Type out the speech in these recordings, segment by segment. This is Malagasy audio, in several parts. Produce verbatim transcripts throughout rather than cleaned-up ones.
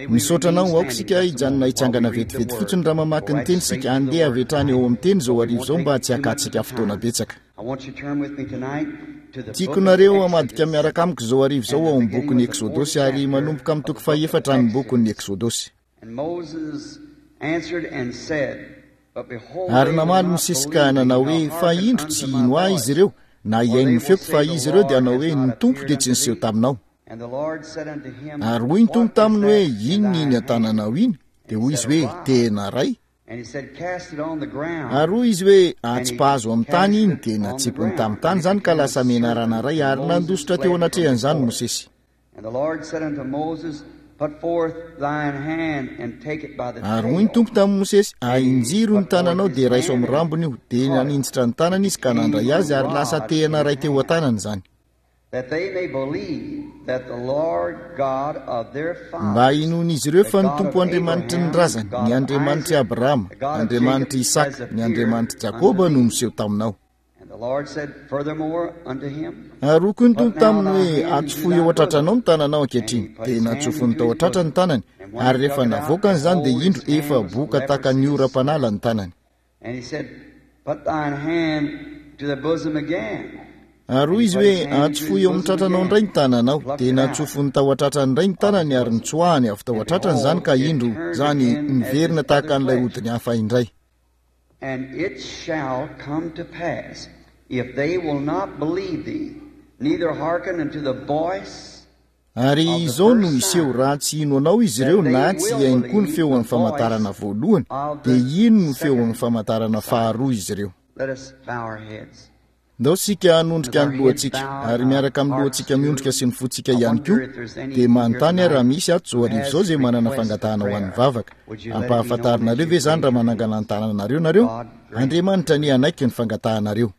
Misaotra anao. Aoka isika hijanona hitsangana vetivety fotsiny raha mamaky ny teny isika. Andeha avy hatrany eo amin'ny teny izao hariva izao mba tsy hakantsika fotoana betsaka. Tiako nareo hamadika miaraka amiko izao hariva izao ao amin'ny bokin'ny Eksodosy, ary manomboka amin'ny toko fahefatra ny bokin'ny Eksodosy. Ary namaly Mosesy ka nanao hoe, Fa indro tsy hino ahy izy ireo, na hihaino ny feoko, fa izy ireo dia hanao hoe, Ny Tompo dia tsy niseho taminao. Ary hoy ny Tompo taminy hoe, Inona iny an-tananao iny? Dia hoy izy hoe, Tehina iray. Ary hoy izy hoe, Atsipahazo amin'ny tany iny. Dia natsipiny tamin'ny tany izany ka lasa menarana iray, ary nandositra teo anatrehan'izany Mosesy. Ary hoy ny Tompo tamin'i Mosesy, Ahinjiro ny tananao dia raiso amin'ny rambony io. Dia naninjitra ny tanany izy ka nandray azy, ary lasa tehina iray teo an-tanany izany. Mba hinoan'izy ireo fa ny Tompo Andriamanitry ny razany, ny Andriamanitr'i Abrahama, Andriamanitr'i Isaka, ny Andriamanitr'i Jakoba no niseho taminao. Ary hoy koa ny Tompo taminy hoe, Atsofohy eo an-tratranao ny tananao ankehitriny. Dia natsofony tao an-tratra ny tanany, ary rehefa navoakany izany dia indro efa boka tahaka ny oram-panala ny tanany. Ary hoy izy hoe, Atsofohy eo amin'ny tratranao indray ny tananao. Dia natsofony tao an-tratrany indray ny tanany ary nitsoahany avy tao an-tratrany izany ka indro izany niverina tahaka an'ilay hodiny hafa indray. Ary izao no hiseho, raha tsy hino anao izy ireo na tsy hihaino koa ny feon'ny famantarana voalohany, dia hino ny feon'ny famantarana faharoa izy ireo. Ndao isika hanondrika ny lohantsika, ary miaraka amin'ny lohantsika miondrika sy ny fontsika ihany koa, dia manontany aho raha misy ato izao hariva izao izay manana fangatahana ho an'ny vavaka. Ampahafantarinareo ve izany raha manangana ny tananareo nareo? Andriamanitra anie hanaiky ny fangatahanareo.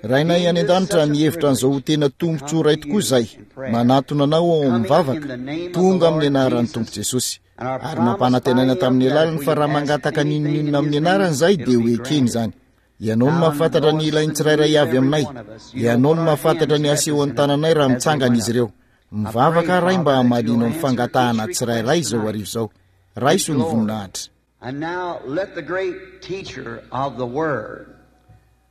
Rainay any An-danitra, mihevitra an'izao ho tena tombontsoa iray tokoa izahay, manatona Anao ao amin'ny vavaka, tonga amin'ny Anaran'ny Tompo Jesosy. Ary nampanantenaina tamin'ny alalany fa raha mangataka n'inon'inona amin'ny Anarany izahay, dia ho ekeny izany. Ianao no mahafantatra ny ilain'ny tsirairay avy aminay. Ianao no mahafantatra ny asehon'ny tananay raha mitsangana izy ireo. Mivavaka aho, Ray, mba hamalianao ny fangatahana tsirairay izao hariva izao. Raiso ny voninahitra. And now let the great teacher of the Word,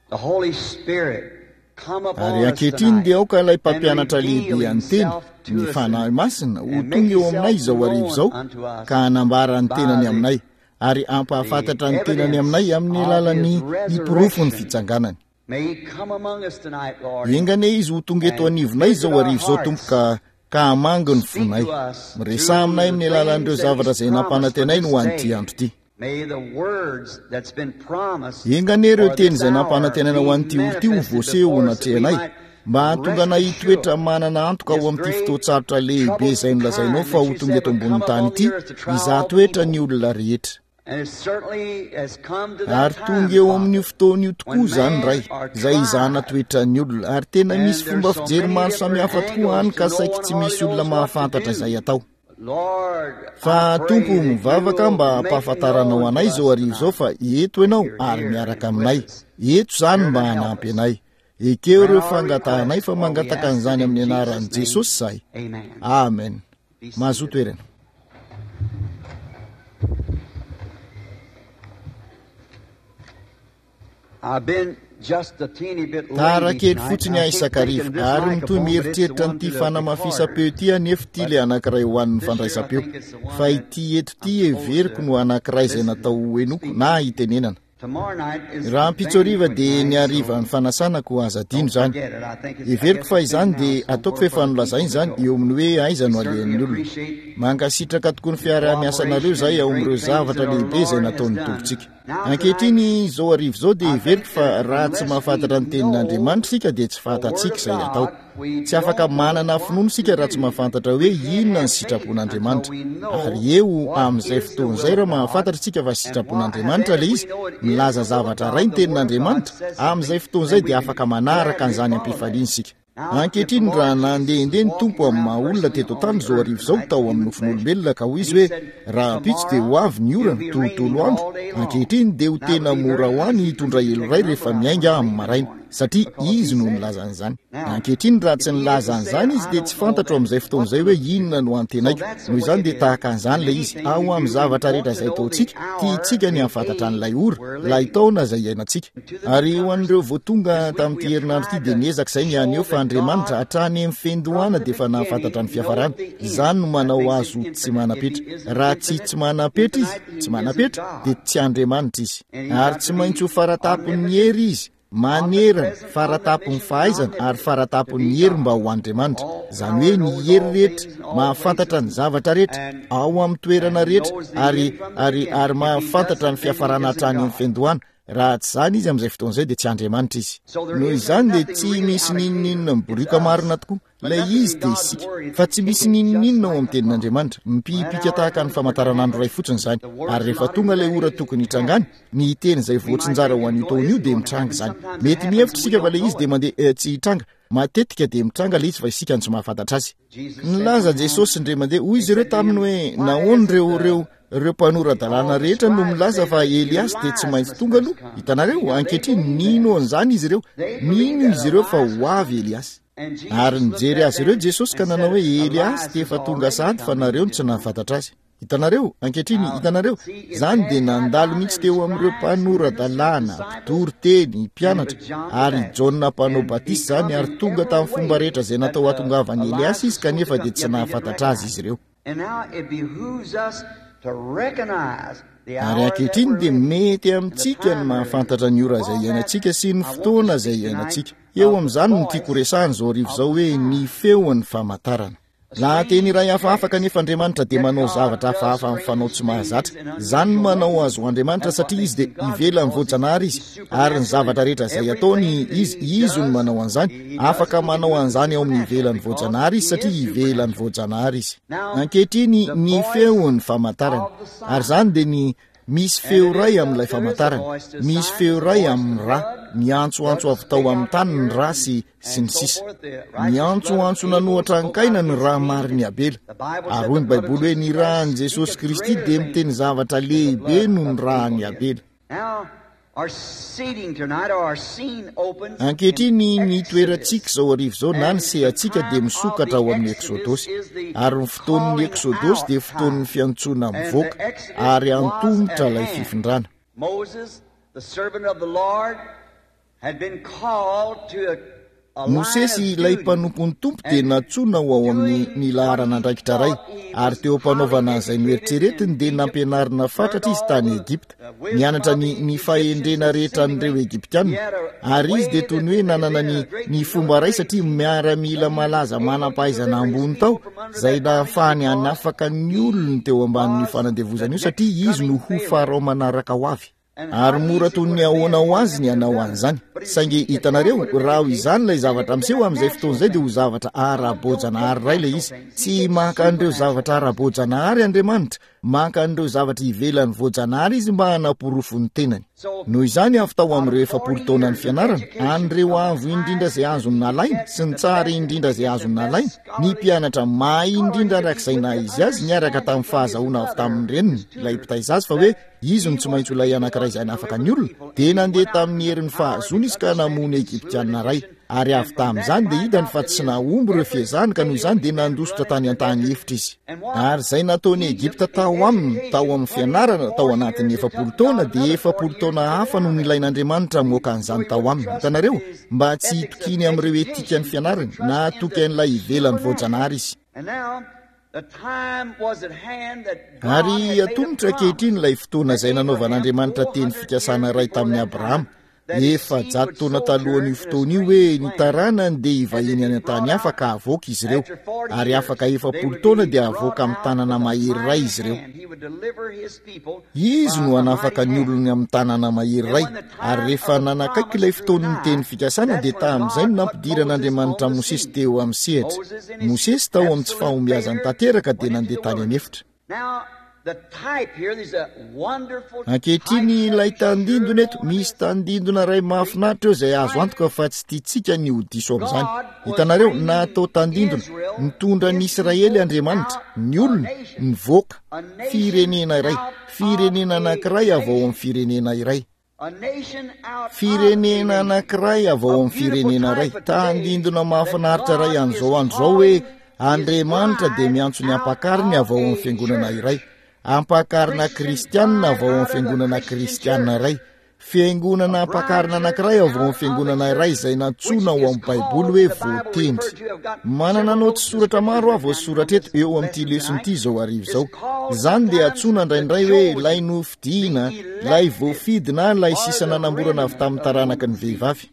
the Holy Spirit, come upon Ary us ankehitriny tonight dia aoka ilay and mpampianatra reveal lehibe an'ny Teny, himself to ny us Fanahy Masina, ho and tonga make eo aminay himself izao hariva known izao unto us ka hanambara ny by tenany the aminay ary hampahafantatra ny the tenany aminay evidence amin'ny of alalan'ny his ny porofon'ny resurrection. fitsanganany. May he come among us tonight, Lord, Enga anie Izy ho tonga eto and anivonay visit izao our hariva izao, Tompo, hearts. ka ka hamangy ny Speak fonay. to us Miresaha through aminay the amin'ny alalan'ireo things that zavatra he's izay promised for nampanantenainy this ho an'ity day. andro ity. May the words that's been promised Enga anie ireo for teny this izay hour nampanantenaina ho be an'ity ora ity ho manifested voaseho ho before us that we natrehanay, might mba hahatonga rest anay hitoetra assured manana antoka this ao amin'ity great fotoan-tsarotra lehibe izay troublesome nolazainao time fa that ho you tonga said eto would come ambonin'ny tany upon ity, the earth to try hizaha all toetra ny people. olona rehetra. And it certainly has come to that Ary tonga time, eo amin'io Father, fotoana io tokoa when izany, man Ray, are izay hizahana tried. toetra ny olona. Ary tena misy And fomba there's so fijery many maro different samihafa tokoa angles hany to ka no saiky one tsy hardly misy olona knows what to mahafantatra do. izay atao. Lord, I Fa pray Tompo, that mivavaka you'll mba make hampahafantaranao known to anay us izao hariva izao tonight fa eto Ianao that you're ary here miaraka and with aminay. us, Eto izany here mba to help hanampy us. anay. Ekeo Grant ireo our fangatahanay request, fa for we mangataka ask it an'izany in amin'ny Jesus' anaran'i name. Jesosy izahay. Amen. Amen. Be Mahazoa seated. toerana. I've been just a teeny bit Tara lazy kely tonight. fotsiny I aho keep isan-kariva, thinking this ary mitohy microphone, but it's the mieritreritra one an'ity to the fanamafisam-peo recorder. ity aho nefa ity But ilay anankiray ho an'ny this year I fandraisam-peo. think it's the one Fa that ity eto ity I'm supposed heveriko to no anankiray izay listen natao ho henoiko speak. na hitenenana. Tomorrow night is the Rahampitso hariva banquet dia ny night, so harivan'ny fanasana koa aza adino don't izany. forget it. I think it's, I Heveriko guess fa it's been izany dia announced ataoko somewhere fa efa for the nolazaina people to izany go. eo amin'ny hoe aiza We no certainly alehan'ny olona. appreciate Mankasitraka tokoa ny the fiaraha-miasanareo cooperation izahay and ao the amin'ireo great things zavatra that our lehibe izay Lord has nataon'ny done. Tompontsika. Now tonight, Ankehitriny, izao hariva izao dia I heveriko think fa that raha tsy unless we mahafantatra ny know tenin'Andriamanitra isika dia tsy the Word fantatsika of izay atao. God, we Tsy afaka don't know manana what finoana to isika raha tsy do. mahafantatra hoe We can't inona ny have faith until sitrapon'Andriamanitra. we know Ary eo what amin'izay is the fotoana will izay of raha God mahafantatra isika fa and what, and sitrapon'Andriamanitra then ilay if we izy, know it is milaza the will of zavatra God, iray ny the Word of God tenin'Andriamanitra, says amin'izay something, fotoana izay then we dia can afaka manaraka gladly an'izany follow that. am-pifaliana isika. Now, if the Ankehitriny, raha Lord Jesus nandehandeha was ny Tompo walking amin'ny around maha olona personally teto on an-tany the izao earth hariva izao tonight, tao amin'ny human flesh, nofon'olombelona ka hoy and izy he hoe, said, Rahampitso dia ho Tomorrow avy ny it'll orana, be tontolo raining andro. all day long. Ankehitriny dia ho Now, it'll tena be mora very ho ahy ny easy for hitondra me to elo take iray an rehefa umbrella miainga when I amin'ny leave in the maraina. morning. satria izy no nilaza an'izany. Ankehitriny raha tsy nilaza an'izany izy dia tsy fantatro amin'izay fotoana izay hoe inona no antenaiko. Noho izany dia tahaka an'izany ilay izy. Ao amin'ny zavatra rehetra izay ataontsika, tiantsika ny hahafantatra an'ilay ora, ilay taona izay iainantsika. Ary ho an'ireo vao tonga tamin'ity herinandro ity dia niezaka izay ny haneho fa Andriamanitra hatrany amin'ny fiandohana dia efa nahafantatra ny fiafarana. Izany no manao azy ho tsy manam-petra. Raha tsy tsy manam-petra izy, tsy manam-petra, dia tsy Andriamanitra izy. Ary tsy maintsy ho faratapon'ny hery izy, manerana, faratapon'ny fahaizana ary faratapon'ny hery mba ho Andriamanitra. Izany hoe ny hery rehetra, mahafantatra ny zavatra rehetra, ao amin'ny toerana rehetra, ary, ary, ary mahafantatra ny fiafarana hatrany amin'ny fiandohana. Raha tsy izany izy amin'izay fotoana izay dia tsy Andriamanitra izy. Noho izany dia tsy misy n'inon'inona miborioka marina tokoa. Ilay izy dia isika. Fa tsy misy n'inon'inona ao amin'ny tenin'Andriamanitra. Mipipika tahaka ny famantaranandro iray fotsiny izany. Ary rehefa tonga ilay ora tokony hitrangany, ny teny izay voatsinjara ho an'io taona io dia mitranga izany. Mety mihevitra isika fa ilay izy dia mandeha tsy hitranga. Matetika dia mitranga ilay izy fa isika no tsy mahafantatra azy. Nilaza Jesosy indray mandeha, hoy izy ireo taminy hoe, nahoana ireo ireo ireo mpanora-dalàna rehetra no milaza fa Eliasy dia tsy maintsy tonga aloha? Hitanareo, ankehitriny nino an'izany izy ireo. Nino izy ireo fa ho avy Eliasy. Ary nijery azy ireo Jesosy ka nanao hoe, Eliasy dia efa tonga sahady fa nareo no tsy nahafantatra azy. Hitanareo, ankehitriny, hitanareo, izany dia nandalo mihitsy teo amin'ireo mpanora-dalàna, mpitory teny, mpianatra, ary Jaona mpanao batisa izany, ary tonga tamin'ny fomba rehetra izay natao hatongavan'i Eliasy izy, kanefa dia tsy nahafantatra azy izy ireo. Ary ankehitriny dia mety amintsika ny mahafantatra ny ora izay iainantsika sy ny fotoana izay iainantsika. Eo amin'izany no tiako resahana izao hariva izao hoe ny feon'ny famantarana. Lahateny iray hafahafa kanefa Andriamanitra dia manao zavatra hafahafa amin'ny fanao tsy mahazatra. Izany no manao azy ho Andriamanitra satria izy dia ivelan'ny voajanahary izy, ary ny zavatra rehetra izay ataony izy, izy no manao an'izany. Afaka manao an'izany ao amin'ny ivelan'ny voajanahary izy satria ivelan'ny voajanahary izy. Ankehitriny ny feon'ny famantarana, ary izany dia ny misy feo iray amin'ilay famantarana, misy feo iray amin'ny rà, miantsoantso avy tao amin'ny tany ny rà sy sy ny sisa. Miantsoantso nanohatra an-kaina ny rà marin'i Abela. Ary hoy ny Baiboly hoe ny ràn'i Jesosy Kristy dia miteny zavatra lehibe noho ny ràn'i Abela. Ankehitriny ny toerantsika izao hariva izao na ny sehatsika dia misokatra ao amin'ny Eksodosy. Ary ny fotoan'ny Eksodosy dia fotoan'ny fiantsoana mivoaka ary antomotra ilay fifindrana. Mosesy, ilay mpanompon'ny Tompo, dia nantsoina ho ao amin'ny ny laharan'andraikitra iray, ary teo am-panaovana an'izay noeritreretiny dia nampianarina fatratra izy tany Egypta. Nianatra ny, ny fahendrena rehetra an'ireo Egyptiana, ary izy dia toy ny hoe nanana ny, ny fomba iray satria miaramila malaza manam-pahaizana ambony tao, izay nahafahany hanafaka ny olony teo ambanin'io fanandevozana io satria izy no ho Farao manaraka ho avy. Ary mora toy ny ahoana ho azy ny hanao an'izany. Saingy hitanareo, raha ho izany ilay zavatra miseho amin'izay fotoana izay dia ho zavatra ara-boajanahary iray ilay izy. Tsy maka an'ireo zavatra ara-boajanahary Andriamanitra, maka an'ireo zavatra ivelan'ny voajanahary Izy mba hanaporofo ny tenany. Noho izany, avy tao amin'ireo efapolo taonan'ny fianarana, an'ireo avo indrindra izay azony nalaina sy ny tsara indrindra izay azony nalaina, ny mpianatra mahay indrindra arak'izay naha izy azy niaraka tamin'ny fahazahoana avy tamin'ny reniny, ilay mpitaiza azy, fa hoe izy no tsy maintsy ho ilay anankiray izay hanafaka ny olona, dia nandeha tamin'ny herin'ny fahazoana izy ka namono Egyptiana iray. Ary avy tamin'izany dia hitany fa tsy nahomby ireo fiezahany ka noho izany dia nandositra tany an-tany efitra izy. Ary izay nataon'i Egypta tao aminy, tao amin'ny fianarana, tao anatin'ny efapolo taona, dia efapolo taona hafa no nilain'Andriamanitra hamoaka an'izany tao aminy. Hitanareo? Mba tsy hitokiany amin'ireo etikan'ny fianarany, na hatoky an'ilay ivelan'ny voajanahary izy. Ary atomotra ankehitriny ilay fotoana izay nanaovan'Andriamanitra teny fikasana iray tamin'i Abrahama, efajato taona talohan'io fotoana io, hoe ny taranany dia hivahiny any an-tany hafa ka havoaka izy ireo, ary afaka efapolo taona dia havoaka amin'ny tanana mahery iray izy ireo. Izy no hanafaka ny olony amin'ny tanana mahery iray. Ary rehefa nanakaiky ilay fotoan'ny teny fikasana dia tamin'izay no nampidiran'Andriamanitra Mosesy teo amin'ny sehatra. Mosesy tao amin'ny tsy fahombiazany tanteraka dia nandeha tany an'efitra. Ankehitriny ilay tandindona eto, misy tandindona iray mahafinaritra eo izay azo antoka fa tsy tiantsika ny ho diso amin'izany. Hitanareo, natao tandindona, nitondra ny Israely Andriamanitra, ny olony, nivoaka, firenena iray, firenena anankiray avy ao amin'ny firenena iray. Firenena anankiray avy ao amin'ny firenena iray, tandindona mahafinaritra iray an'izao andro izao hoe Andriamanitra dia miantso ny ampakariny avy ao amin'ny fiangonana iray, ampakarina kristianina avy ao amin'ny fiangonana kristianina iray, fiangonana ampakarina anankiray avy ao amin'ny fiangonana iray izay nantsoina ao amin'ny Baiboly hoe voatendry. Manana naoty soratra maro aho voasoratra eto eo amin'ity lesona ity izao hariva izao. Izany dia antsoina indraindray hoe ilay nofidina, ilay voafidy na ilay sisa nanamborana avy tamin'ny taranaky ny vehivavy.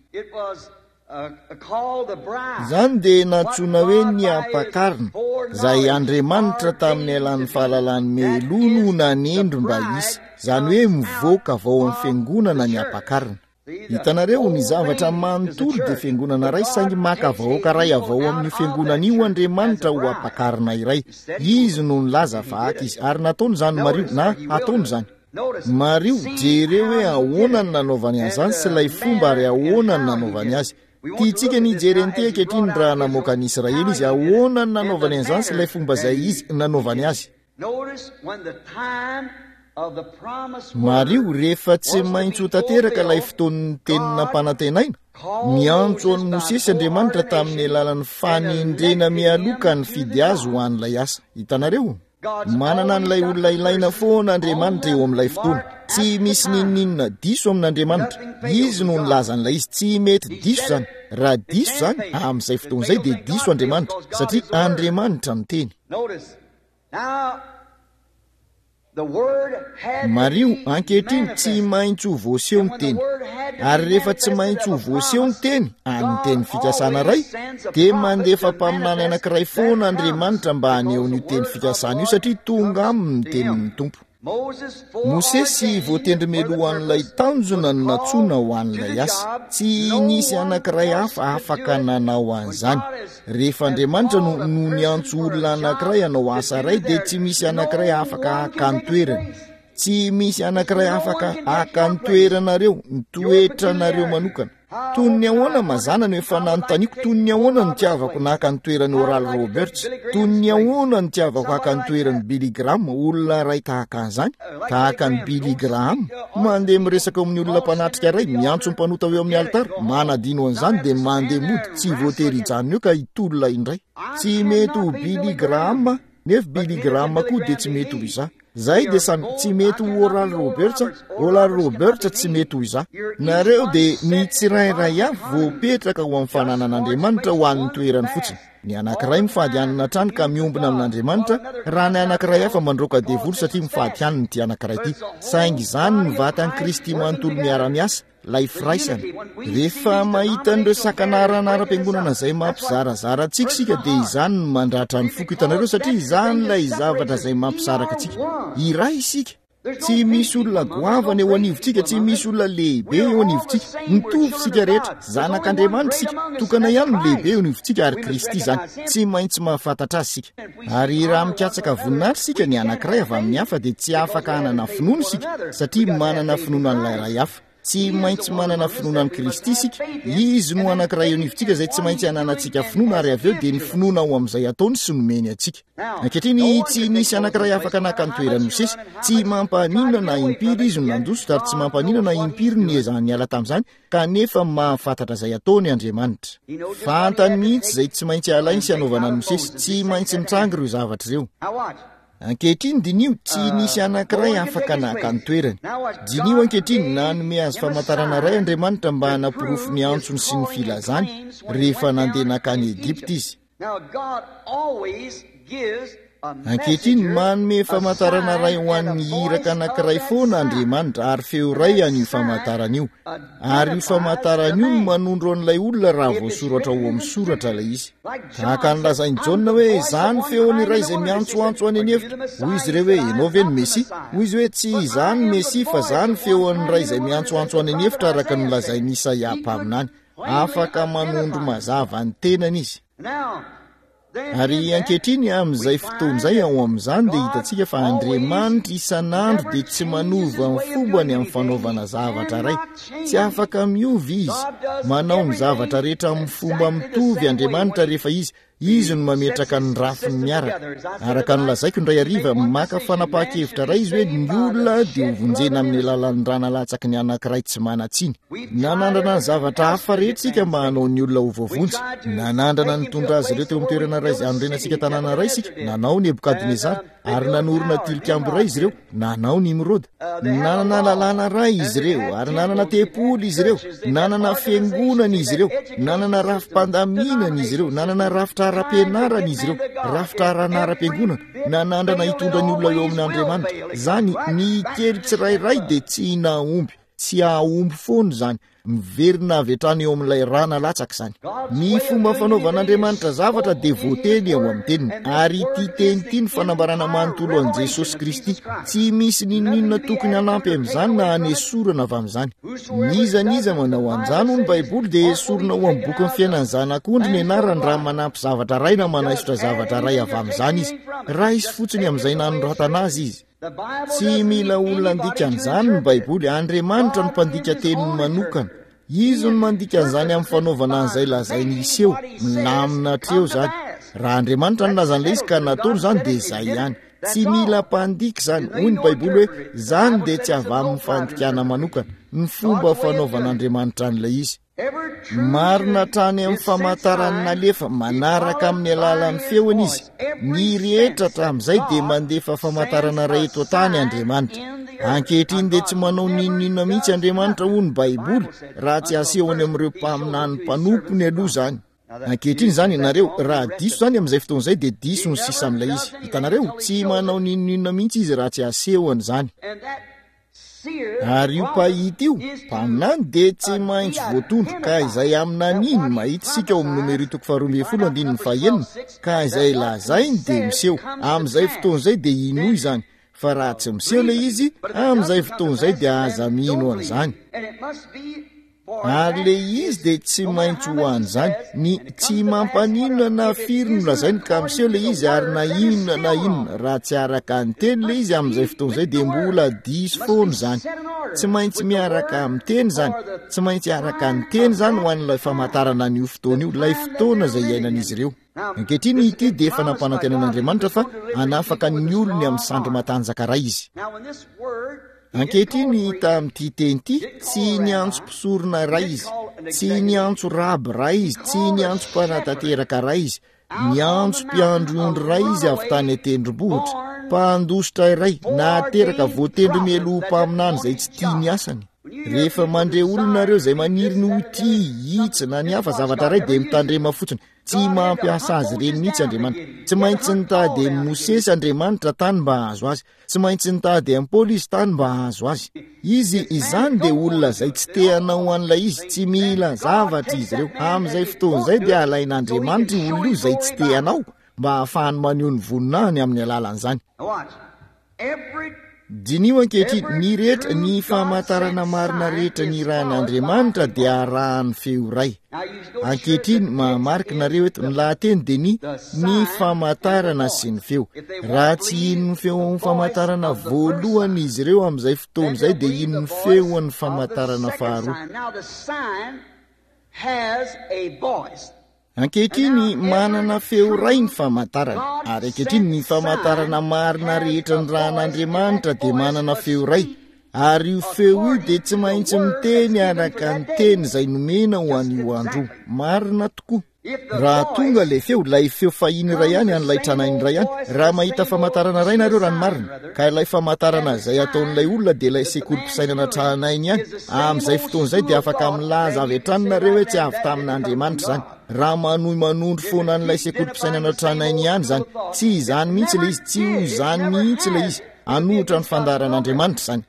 Izany dia nantsoina hoe ny ampakarina, izay Andriamanitra tamin'ny alalan'ny fahalalany mialoha no nanendry mba hisy, izany hoe mivoaka avy ao amin'ny fiangonana ny ampakarina. Hitanareo, ny zavatra manontolo dia fiangonana iray, saingy maka vahoaka iray avy ao amin'io fiangonana io Andriamanitra ho ampakarina iray. Izy no nilaza fa haka izy, ary nataony izany Mario, na hataony izany. Mario, jereo hoe ahoana ny nanaovany an'izany sy ilay fomba ary ahoana ny nanaovany azy. Tiantsika ny hijery an'ity ankehitriny raha namoaka an'i Israely izy, ahoana ny nanaovany an'izany sy ilay fomba izay izy nanaovany azy. Mario, rehefa tsy maintsy ho tanteraka ilay fotoan'ny teny nampanantenaina, miantso an'i Mosesy Andriamanitra tamin'ny alalan'ny fanendrena mialoha ka nifidy azy ho an'ilay asa. Hitanareo? Manana an'ilay olona ilaina foana Andriamanitra eo amin'ilay fotoana. Tsy misy n'inon'inona diso amin'Andriamanitra. Izy no nilaza an'ilay izy. Tsy mety diso izany. Raha diso izany, amin'izay fotoana izay dia diso Andriamanitra, satria Andriamanitra no teny. Mariho, ankehitriny tsy maintsy ho voaseho ny teny. Ary rehefa tsy maintsy ho voaseho ny teny, amin'ny teny fikasana iray, dia mandefa mpaminany anankiray foana Andriamanitra mba haneho an'io teny fikasana io, satria tonga aminy ny tenin'ny Tompo. Mosesy voatendry mialoha an'ilay tanjona no nantsoina ho an'ilay asa. Tsy nisy anankiray hafa afaka nanao an'izany. Rehefa Andriamanitra no no niantso olona anankiray hanao asa iray, dia tsy misy anankiray afaka haka ny toerany. Tsy misy anankiray afaka haka ny toeranareo, ny toetranareo manokana. Toy ny ahoana mazàna no efa nanontaniako, toy ny ahoana no tiavako naka ny toeran'i Oral Roberts, toy ny ahoana no tiavako haka ny toeran'i Billy Graham, olona iray tahaka an'izany, tahaka an'i Billy Graham, mandeha miresaka eo amin'ny olona mpanatrika iray, miantso ny mpanota eo amin'ny alitara, manadino an'izany dia mandeha mody, tsy voatery hijanona eo ka hitolona indray. Tsy mety ho Billy Graham, nefa Billy Graham koa dia tsy mety ho izaho. Zahay dia samy tsy mety ho Oral Roberts, Oral Roberts tsy mety ho izaho. Nareo dia ny tsirairay avy voapetraka ho amin'ny fananan'Andriamanitra ho an'ny toerany fotsiny. Ny anankiray mifady hanina hatrany ka miombona amin'Andriamanitra, raha ny anankiray hafa mandroaka devoly satria mifady hanina ity anankiray ity. Saingy izany ny vatan'i Kristy manontolo miara-miasa, ilay firaisana. Rehefa mahita an'ireo sakana ara-anaram-piangonana izay mampizarazara antsika isika, dia izany no mandratra ny foko, hitanareo, satria izany ilay zavatra izay mampisaraka antsika. Iray isika. Tsy misy olona goavana eo anivontsika, tsy misy olona lehibe eo anivontsika. Mitovy isika rehetra, zanak'Andriamanitra isika. Tokana ihany no lehibe eo anivontsika, ary Kristy izany. Tsy maintsy mahafantatra azy isika. Ary raha mikatsaka voninahitra isika, ny anankiray avy amin'ny hafa, dia tsy afaka hanana finoana isika, satria manana finoana an'ilay iray hafa. Tsy maintsy manana finoana an'i Kristy isika. Izy no anankiray eo anivontsika izay tsy maintsy hananantsika finoana, ary avy eo dia ny finoana ao amin'izay ataony sy nomeny antsika. Ankehitriny, tsy nisy anankiray afaka naka ny toeran'i Mosesy. Tsy mampaninona na impiry izy no nandositra, ary tsy mampaninona na impiry no niezahany niala tamin'izany, kanefa mahafantatra izay ataony Andriamanitra. Fantany mihitsy izay tsy maintsy alainy sy hanaovana an'i Mosesy. Tsy maintsy mitranga ireo zavatra ireo. Ankehitriny, diniho, tsy nisy anankiray afaka naka ny toerany. Diniho ankehitriny, nanome azy famantarana iray Andriamanitra mba hanaporofo ny antsony sy ny filazany rehefa nandeha nankany Egypta izy. Ankehitriny, manome famantarana iray ho an'ny iraka anankiray foana Andriamanitra, ary feo iray an'io famantarana io. Ary io famantarana io no manondro an'ilay olona raha voasoratra ao amin'ny soratra ilay izy. Tahaka ny lazain'i Jaona hoe, Izaho no feon'ny iray izay miantsoantso any an'efitra. Hoy izy ireo hoe, Ianao ve no Mesia? Hoy izy hoe, Tsy izaho no Mesia, fa izaho no feon'ny iray izay miantsoantso any an'efitra, araka ny nolazain'i Isaia mpaminany. Afaka manondro mazava ny tenany izy. Ary ankehitriny, amin'izay fotoana izay, ao amin'izany dia hitantsika fa Andriamanitra isan'andro dia tsy manova ny fombany amin'ny fanaovana zavatra iray. Tsy afaka miova Izy. Manao ny zavatra rehetra amin'ny fomba mitovy Andriamanitra rehefa Izy. Izy no mametraka ny rafiny miaraka. Araka ny lazaiko indray hariva, maka fanapahan-kevitra iray izy hoe ny olona dia ho vonjena amin'ny alalan'ny rà nalatsaky ny anankiray tsy manan-tsiny. Nanandrana ny zavatra hafa rehetra isika mba hanao ny olona ho voavonjy. Nanandrana nitondra azy ireo teo amin'ny toerana iray izay hanorenantsika tanàna iray isika. Nanao Nebokadnezara ary nanorina tilikambo iray izy ireo. Nanao Nimroda. Nanana lalàna iray izy ireo ary nanana tempoly izy ireo. Nanana fiangonana izy ireo. Nanana rafi-pandaminana izy ireo. Nanana rafitra ara-pianarana izy ireo. Rafitra ara-anaram-piangonana. Nanandrana hitondra ny olona eo amin'Andriamanitra. Izany ny kely tsirairay dia tsy nahomby. Tsy hahomby foana izany. Miverina avy hatrany eo amin'ilay rà nalatsaka izany. Ny fomba fanaovan'Andriamanitra zavatra dia voateny ao amin'ny teniny. Ary ity teny ity ny fanambarana manontolo an'i Jesosy Kristy. Tsy misy n'inon'inona tokony hanampy amin'izany na hanesorana avy amin'izany. N'iza n'iza manao an'izany hoy ny Baiboly dia esorina ao amin'ny bokin'ny fiainan'ny zanak'ondry ny anarany raha manampy zavatra iray na manaisotra zavatra iray avy amin'izany izy. Raiso fotsiny amin'izay nanoratana azy izy. Tsy mila olona handika an'izany ny Baiboly. Andriamanitra no mpandika teniny manokana. Izy no mandika an'izany amin'ny fanaovana an'izay lazainy hiseho. Milamina hatreo izany. Raha Andriamanitra no nilaza an'ilay izy ka nataony izany dia izay ihany. Tsy mila mpandika izany. Hoy ny Baiboly hoe izany dia tsy avy amin'ny fandikana manokana. Ny fomba fanaovan'Andriamanitra an'ilay izy. Marina hatrany amin'ny famantarany nalefa manaraka amin'ny alalan'ny feony izy. Ny rehetra hatramin'izay dia mandefa famantarana iray eto an-tany Andriamanitra. Ankehitriny dia tsy manao n'inon'inona mihitsy Andriamanitra hoy ny Baiboly raha tsy asehony amin'ireo mpaminany mpanompony aloha izany. Ankehitriny izany ianareo, raha diso izany amin'izay fotoana izay dia diso ny sisa amin'ilay izy. Hitanareo, tsy manao n'inon'inona mihitsy izy raha tsy asehony izany. Ary io mpahita io, mpaminany, dia tsy maintsy voatondro, ka izay aminaniny mahita isika ao amin'ny Nomery toko faharoa ambin'ny folo andininy fahenina, ka izay lazainy dia miseho. Amin'izay fotoana izay dia inoa izany, fa raha tsy miseho ilay izy, amin'izay fotoana izay dia aza mino an'izany. Ary ilay izy dia tsy maintsy ho an'izany. Ny tsy mampaninona na firy no lazainy ka miseho ilay izy ary na inona na inona. Raha tsy araka ny teny ilay izy amin'izay fotoana izay dia mbola diso foana izany. Tsy maintsy miaraka amin'ny teny izany. Tsy maintsy araka ny teny izany ho an'ilay famantarana an'io fotoana io, ilay fotoana izay iainan'izy ireo. Ankehitriny ity dia efa nampanantenan'Andriamanitra fa hanafaka ny olony amin'ny sandry matanjaka iray izy. Ankehitriny tamin'ity teny ity, tsy niantso mpisorona iray izy, tsy niantso raby iray izy, tsy niantso mpanatanteraka iray izy, niantso mpiandry ondry iray izy avy tany an-tendrombohitra, mpandositra iray, nateraka voatendry mialoha mpaminany izay tsy tia ny asany. Rehefa mandre olona nareo izay maniry ny ho tia, hitsy na ny hafa zavatra iray dia mitandrema fotsiny. Tsy mampiasa azy ireny mihitsy Andriamanitra. Tsy maintsy nitady an'i Mosesy Andriamanitra tany mba hahazo azy. Tsy maintsy nitady an'i Paoly izy tany mba hahazo azy. Izy izany dia olona izay tsy te hanao an'ilay izy, tsy mila zavatra izy ireo. Amin'izay fotoana izay dia alain'Andriamanitra io olona io izay tsy te hanao mba hahafahany maneho ny voninahiny amin'ny alalan'izany. Diniho ankehitriny, ny rehetra, ny famantarana marina rehetra nirahan'Andriamanitra dia arahan'ny feo iray. Ankehitriny, mahamarika nareo eto, ny lahateny dia ny, ny famantarana sy ny feo. Raha tsy hino ny feon'ny famantarana voalohany izy ireo amin'izay fotoana izay dia hino ny feon'ny famantarana faharoa. Ankehitriny, manana feo iray ny famantarana. Ary ankehitriny, ny famantarana marina rehetra nirahan'Andriamanitra dia manana feo iray. Ary io feo io dia tsy maintsy miteny araka ny teny izay nomena ho an'io andro io. Marina tokoa. Raha tonga ilay feo, ilay feo fahiny iray ihany, an'ilay tranainy iray ihany, raha mahita famantarana iray nareo raha ny marina, ka ilay famantarana izay ataon'ilay olona dia ilay sekolim-pisainana tranainy ihany, amin'izay fotoana izay dia afaka milaza avy hatrany nareo hoe tsy avy tamin'Andriamanitra izany. Raha manohy manondro foana an'ilay sekolim-pisainana tranainy ihany izany, tsy izany mihitsy ilay izy, tsy ho izany mihitsy ilay izy. Hanohitra ny fandaharan'Andriamanitra izany.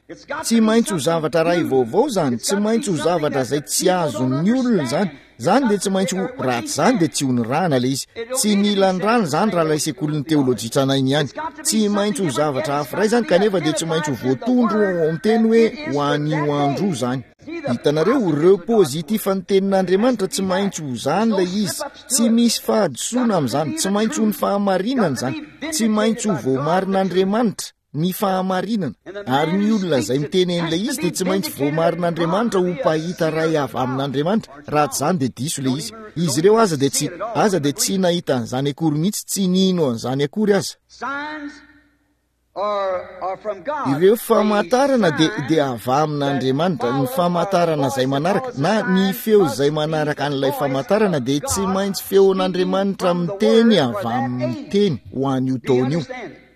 Tsy maintsy ho zavatra iray vaovao izany, tsy maintsy ho zavatra izay tsy azon'ny olona izany. Izany dia tsy maintsy ho, raha tsy izany dia tsy ho nirahana ilay izy. Tsy nila nirahana izany raha ilay sekolin'ny teolojia tranainy ihany. Tsy maintsy ho zavatra hafa iray izany, kanefa dia tsy maintsy ho voatondro ao amin'ny teny hoe ho an'io andro io izany. Hitanareo, ireo positif ny tenin'Andriamanitra, tsy maintsy ho izany ilay izy. Tsy misy fahadisoana amin'izany. Tsy maintsy ho ny fahamarinana izany. Tsy maintsy ho voamarin'Andriamanitra. ny fahamarinana. Ary ny olona izay miteny an'ilay izy dia tsy maintsy voamarin'Andriamanitra ho mpahita iray avy amin'Andriamanitra. Raha tsy izany dia diso ilay izy. Izy ireo aza dia tsy, aza dia tsy nahita an'izany akory mihitsy, tsy nino an'izany akory aza. Ireo famantarana dia, dia avy amin'Andriamanitra. Ny famantarana izay manaraka, na ny feo izay manaraka an'ilay famantarana dia tsy maintsy feon'Andriamanitra miteny avy amin'ny teny ho an'io taona io.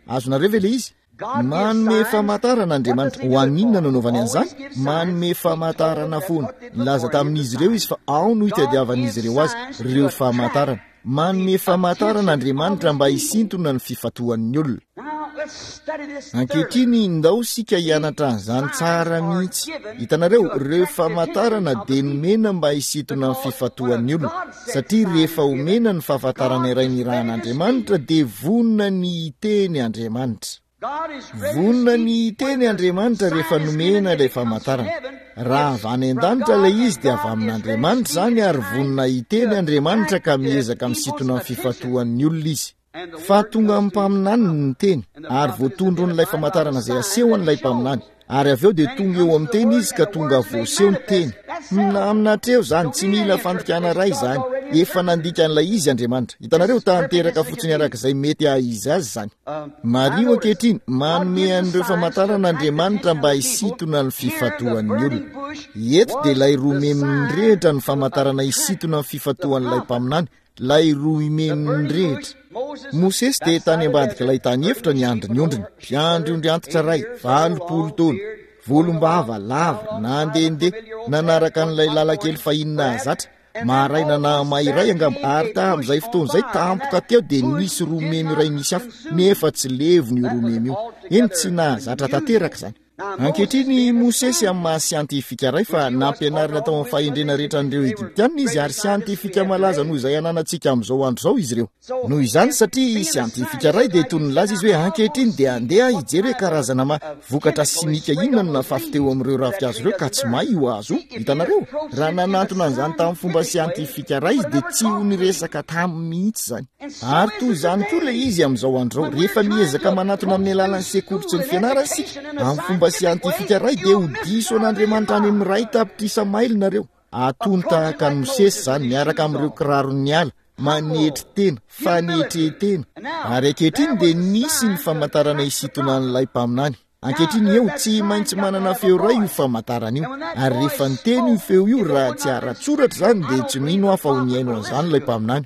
Azonareo ve ilay izy? Manome famantarana Andriamanitra. Ho an'inona no anaovany an'izany? Manome famantarana foana. Nilaza tamin'izy ireo izy fa ao no hitadiavan'izy ireo azy, ireo famantarana. Manome famantarana Andriamanitra mba hisintona ny fifantohan'ny olona. Ankehitriny, ndao isika hianatra an'izany tsara mihitsy. Hitanareo, ireo famantarana dia nomena mba hisintona ny fifantohan'ny olona. Satria rehefa omena ny fahafantarana iray nirahan'Andriamanitra dia vonona ny hiteny Andriamanitra. Vonona ny hiteny Andriamanitra rehefa nomena ilay famantarana. Raha avy any an-danitra ilay izy dia avy amin'Andriamanitra izany, ary vonona hiteny Andriamanitra ka miezaka misintona ny fifantohan'ny olona izy. Fa tonga amin'ny mpaminany ny teny, ary voatondron'ilay famantarana izay asehon'ilay mpaminany. Ary avy eo dia tonga eo amin'ny teny izy ka tonga voaseho ny teny. Milamina hatreo izany, tsy mila fandikana iray izany. Efa nandika an'ilay izy Andriamanitra. Hitanareo, tanteraka fotsiny arak'izay mety haha-izy azy izany. Mariho ankehitriny, manome an'ireo famantarana Andriamanitra mba hisintona ny fifantohan'ny olona. Eto dia ilay roa memy mirehitra ny famantarana hisintona ny fifantohan'ilay mpaminany, ilay roa memy mirehitra. Mosesy dia tany ambadik'ilay tany efitra niandry ny ondriny, mpiandry ondry antitra iray, valopolo taona, volombava lava, nandehandeha, nanaraka an'ilay lalan-kely fahiny nahazatra, maraina nahamay iray angamba, ary tamin'izay fotoana izay tampoka teo dia nisy roa memy iray nisy afo, nefa tsy levona io roa memy io. Eny, tsy nahazatra tanteraka izany. Ankehitriny Mosesy amin'ny maha siantifika iray, fa nampianarina tao amin'ny fahendrena rehetra an'ireo Egyptianina izy, ary siantifika malaza noho izay ananantsika amin'izao andro izao izy ireo. Noho izany, satria siantifika iray dia toy ny nilaza izy hoe ankehitriny dia andeha hijery hoe karazana ma vokatra simika inona no nafafy teo amin'ireo ravinkazo ireo ka tsy may io hazo io. Hitanareo? Raha nanantona an'izany tamin'ny fomba siantifika iray izy dia tsy ho niresaka taminy mihitsy izany. Ary toy izany koa ilay izy amin'izao andro izao, rehefa miezaka manatona amin'ny alalan'ny sekoly sy ny fianarana isika, amin'ny fomba siantifika iray dia ho diso an'Andriamanitra any amin'ny iray tapitrisa maily nareo. Atony tahaka an'i Mosesy izany, miaraka amin'ireo kiraron'ny ala, manetry tena, fanetren-tena. Ary ankehitriny dia nisy ny famantarana hisintona an'ilay mpaminany. Ankehitriny eo, tsy maintsy manana feo iray io famantarana io. Ary rehefa niteny io feo io, raha tsy ara-tsoratra izany, dia tsy mino aho fa ho nihaino an'izany ilay mpaminany.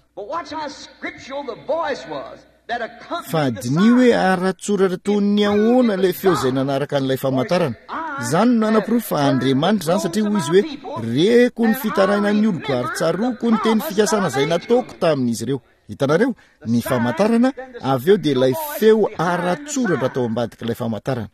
Fa diniho hoe ara-tsoratra toy ny ahoana ilay feo izay nanaraka an'ilay famantarana. Izany no nanaporofo fa Andriamanitra izany, satria hoy izy hoe, Reko ny fitarainan'ny oloko ary tsaroako ny teny fikasana izay nataoko tamin'izy ireo. Hitanareo? Ny famantarana, avy eo dia ilay feo ara-tsoratra tao ambadik'ilay famantarana.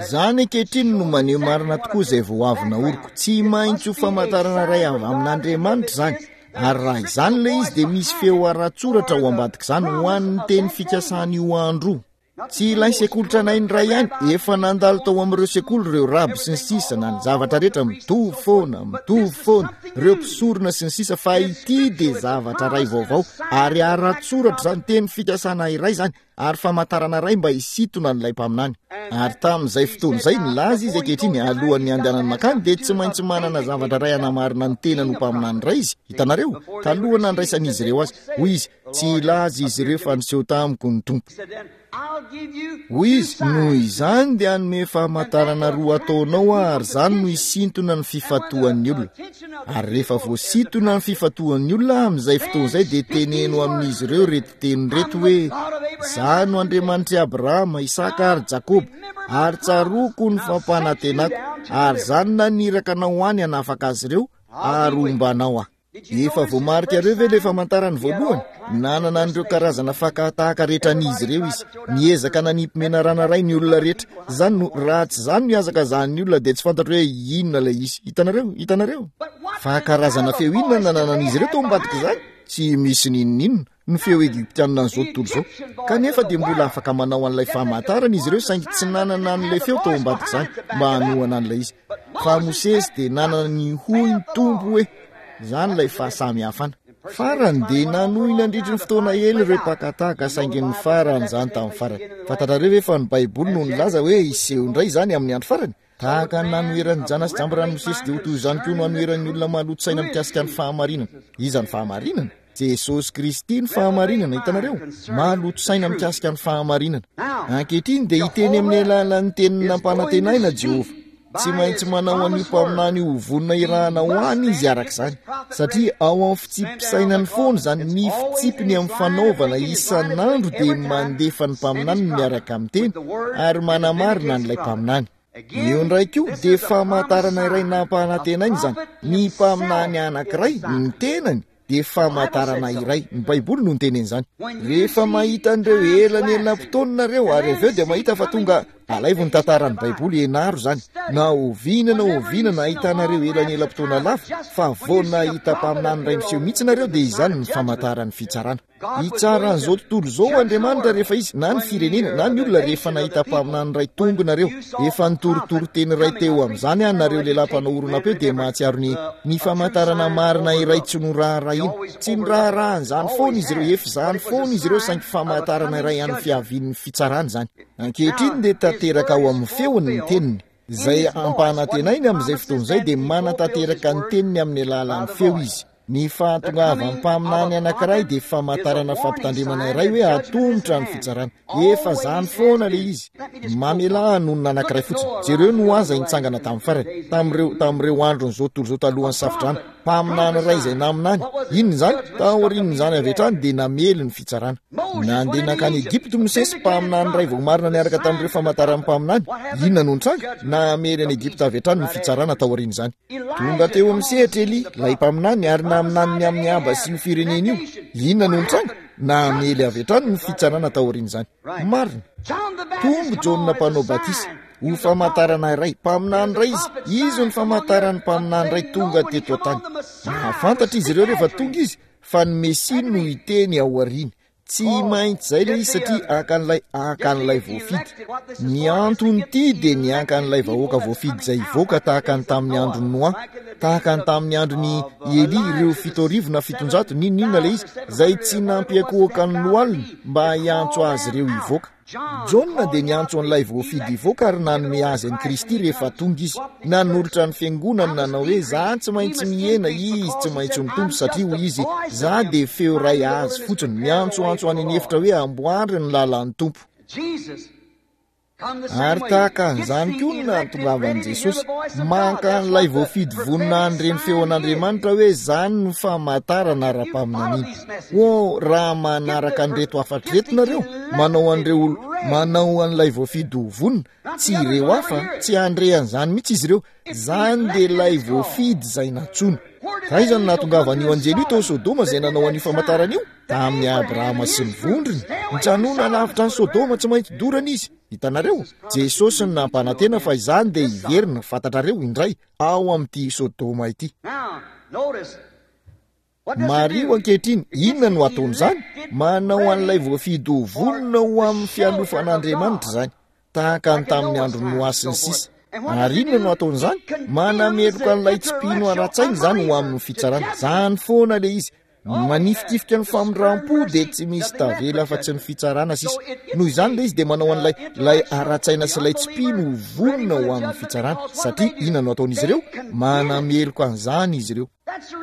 Izany ankehitriny no maneho marina tokoa izay vao avy naoriko. Tsy maintsy ho famantarana iray avy amin'Andriamanitra izany. Ary raha izany ilay izy dia misy feo ara-tsoratra ao ambadik'izany ho an'ny teny fikasan'io andro io. Tsy ilay sekoly tranainy iray ihany, efa nandalo tao amin'ireo sekoly ireo raby sy ny sisa, na ny zavatra rehetra mitovy foana, mitovy foana, ireo mpisorona sy ny sisa, fa ity dia zavatra iray vaovao, ary ara-tsoratra izany, teny fikasana iray izany, ary famantarana iray mba hisintona an'ilay mpaminany. Ary tamin'izay fotoana izay, nilaza izy ankehitriny, alohan'ny handehanany mankany, dia tsy maintsy manana zavatra iray hanamarina ny tenany ho mpaminany iray izy, hitanareo, talohan'ny nandraisan'izy ireo azy. Hoy izy, Tsy hilaza izy ireo fa niseho tamiko ny Tompo. Hoy izy, noho izany dia hanome famantarana roa ataonao aho, ary izany no hisintona ny fifantohan'ny olona. Ary rehefa voasintona ny fifantohan'ny olona amin'izay fotoana izay dia teneno amin'izy ireo ireto teny ireto hoe, Izaho no Andriamanitr'i Abrahama, Isaka ary Jakoba, ary tsaroako ny fampanantenako, ary izaho no naniraka anao ho any hanafaka azy ireo, ary homba anao aho. Efa voamarikareo ve ilay famantarany voalohany? Nanana an'ireo karazana fakà-tahaka rehetra an'izy ireo izy. Niezaka nanipy menarana iray ny olona rehetra. Izany no, raha tsy izany no ihazakazahan'ny olona dia tsy fantatro hoe inona ilay izy. Hitanareo? Hitanareo? Fa karazana feo inona no nananan'izy ireo tao ambadik'izany? Tsy misy n'inon'inona. Ny feo egyptianina an'izao tontolo izao. Kanefa dia mbola afaka manao an'ilay famantarana izy ireo, saingy tsy nanana an'ilay feo tao ambadik'izany mba hanohana an'ilay izy. Fa Mosesy dia nanana ny hoy ny Tompo hoe, izany ilay fahasamihafana. Farany dia nanohy nandritry ny fotoana ela ireo mpaka-tahaka, saingy ny farany izany tamin'ny farany. Fantatrareo ve fa ny Baiboly no nilaza hoe hiseho indray izany amin'ny andro farany? Tahaka ny nanoheran'ny Jana sy Jambran'i Mosesy dia ho toy izany koa no hanoheran'ny olona maloto saina mikasika ny fahamarinana. Iza ny fahamarinana? Jesosy Kristy ny fahamarinana, hitanareo? Maloto saina mikasika ny fahamarinana. Ankehitriny dia hiteny amin'ny alalan'ny teniny nampanantenaina Jehovah. Tsy maintsy manao an'io mpaminany io ho vonona irahana ho any izy araka izany, satria ao amin'ny fitsipi-pisainany foana izany, ny fitsipiny amin'ny fanaovana isan'andro dia mandefa ny mpaminaniny miaraka amin'ny teny ary manamarina an'ilay mpaminany. Eo indray koa dia famantarana iray nampanantenaina izany. Ny mpaminany anankiray, ny tenany, dia famantarana iray. Ny Baiboly no niteny an'izany. Rehefa mahita an'ireo elanelam-potoana nareo, ary avy eo dia mahita fa tonga, alaivo ny tantaran'ny Baiboly, ianaro izany. Na oviana na oviana nahitanareo elanelam-potoana lava, fa vao nahita mpaminany iray miseho mihitsy nareo, dia izany ny famantaran'ny fitsarana. Hitsara an'izao tontolo izao Andriamanitra rehefa izy, na ny firenena, na ny olona, rehefa nahita mpaminany iray tonga nareo. Efa nitorotoro teny iray teo amin'izany aho, nareo lehilahy mpanao horonam-peo dia mahatsiaro ny, ny famantarana marina iray tsy noraharahiana. Tsy niraharaha an'izany foana izy ireo, efa izany foana izy ireo, saingy famantarana iray an'ny fiavian'ny fitsarana izany. Ankehitriny dia tanteraka ao amin'ny feony ny teniny. Izay ampanantenainy amin'izay fotoana izay dia manatanteraka ny teniny amin'ny alalan'ny feo izy. Ny fahatongavan'ny mpaminany anankiray dia famantarana fampitandremana iray hoe atomotra ny fitsarana. Efa izany foana ilay izy. Mamelà hanonona anankiray fotsiny. Jereo Noa izay nitsangana tamin'ny farany, tamin'ireo, tamin'ireo andron'izao tontolo izao talohan'ny safodrano. Mpaminany iray izay naminany. Inona izany? Taorian'izany avy hatrany dia namely ny fitsarana. Nandeha nankany Egypta Mosesy, mpaminany iray voamarina niaraka tamin'ireo famantaran'ny mpaminany. Inona no nitranga? Namely an'i Egypta avy hatrany ny fitsarana taorian'izany. Tonga teo amin'ny sehatra Elia, ilay mpaminany, ary naminany ny amin'ny Ahaba sy io firenena io. Inona no nitranga? Namely avy hatrany ny fitsarana taorian'izany. Marina. Tonga Jaona Mpanao Batisa, ho famantarana iray. Mpaminany iray izy. Izy no famantaran'ny mpaminany iray tonga teto an-tany. Nahafantatra izy ireo rehefa tonga izy fa ny Mesia no hiteny ao aoriany. Tsy maintsy izay ilay izy satria haka an'ilay, haka an'ilay voafidy. Ny anton'ity dia ny haka an'ilay vahoaka voafidy izay hivoaka tahaka ny tamin'ny andron'i Noa, tahaka ny tamin'ny andron'i Elia, ireo fito arivo na fitonjato, n'inon'inona ilay izy, izay tsy nampiankohoka ny lohaliny mba hiantso azy ireo hivoaka. Jaona dia niantso an'ilay voafidy hivoaka ary nanome azy an'i Kristy rehefa tonga izy. Nanolotra ny fiangonany nanao hoe, Za tsy maintsy mihena, izy tsy maintsy mitombo, satria hoy izy, Za dia feo iray azy fotsiny, miantsoantso any an'efitra hoe, Amboary ny lalan'ny Tompo. Ary tahaka an'izany koa no nahatongavan'i Jesosy, maka an'ilay voafidy vonona handre ny feon'Andriamanitra hoe izany no famantarana ara-paminaniana. Oh, raha manaraka an'ireto hafatra ireto nareo, manao an'ireo olo, manao an'ilay voafidy ho vonona, tsy ireo hafa, tsy handre an'izany mihitsy izy ireo, izany dia ilay voafidy izay nantsoina. Taiza no nahatongavan'io anjely io tao Sodoma izay nanao an'io famantarana io? Tamin'i Abrahama sy ny vondrony. Nijanona lavitra an'i Sodoma tsy maintsy dorana izy. Hitanareo? Jesosy no nampanantena fa izany dia hiverina, fantatrareo, indray, ao amin'ity Sodoma ity. Mariho ankehitriny, inona no ataon'izany? Manao an'ilay voafidy ho vonona ho amin'ny fialofan'Andriamanitra izany, tahaka ny tamin'ny andron'i Noa sy ny sisa. Ary inona no ataon'izany? Manameloka an'ilay tsy mpino ara-tsaina izany ho amin'ny fitsarana. Izany foana ilay izy. Manifikifika ny famindram-po dia tsy misy tavela afa-tsy ny fitsarana sisa. Noho izany ilay izy dia manao an'ilay ilay ara-tsaina sy ilay tsy mpino ho vonona ho amin'ny fitsarana. Satria inona no ataon'izy ireo? Manameloka an'izany izy ireo.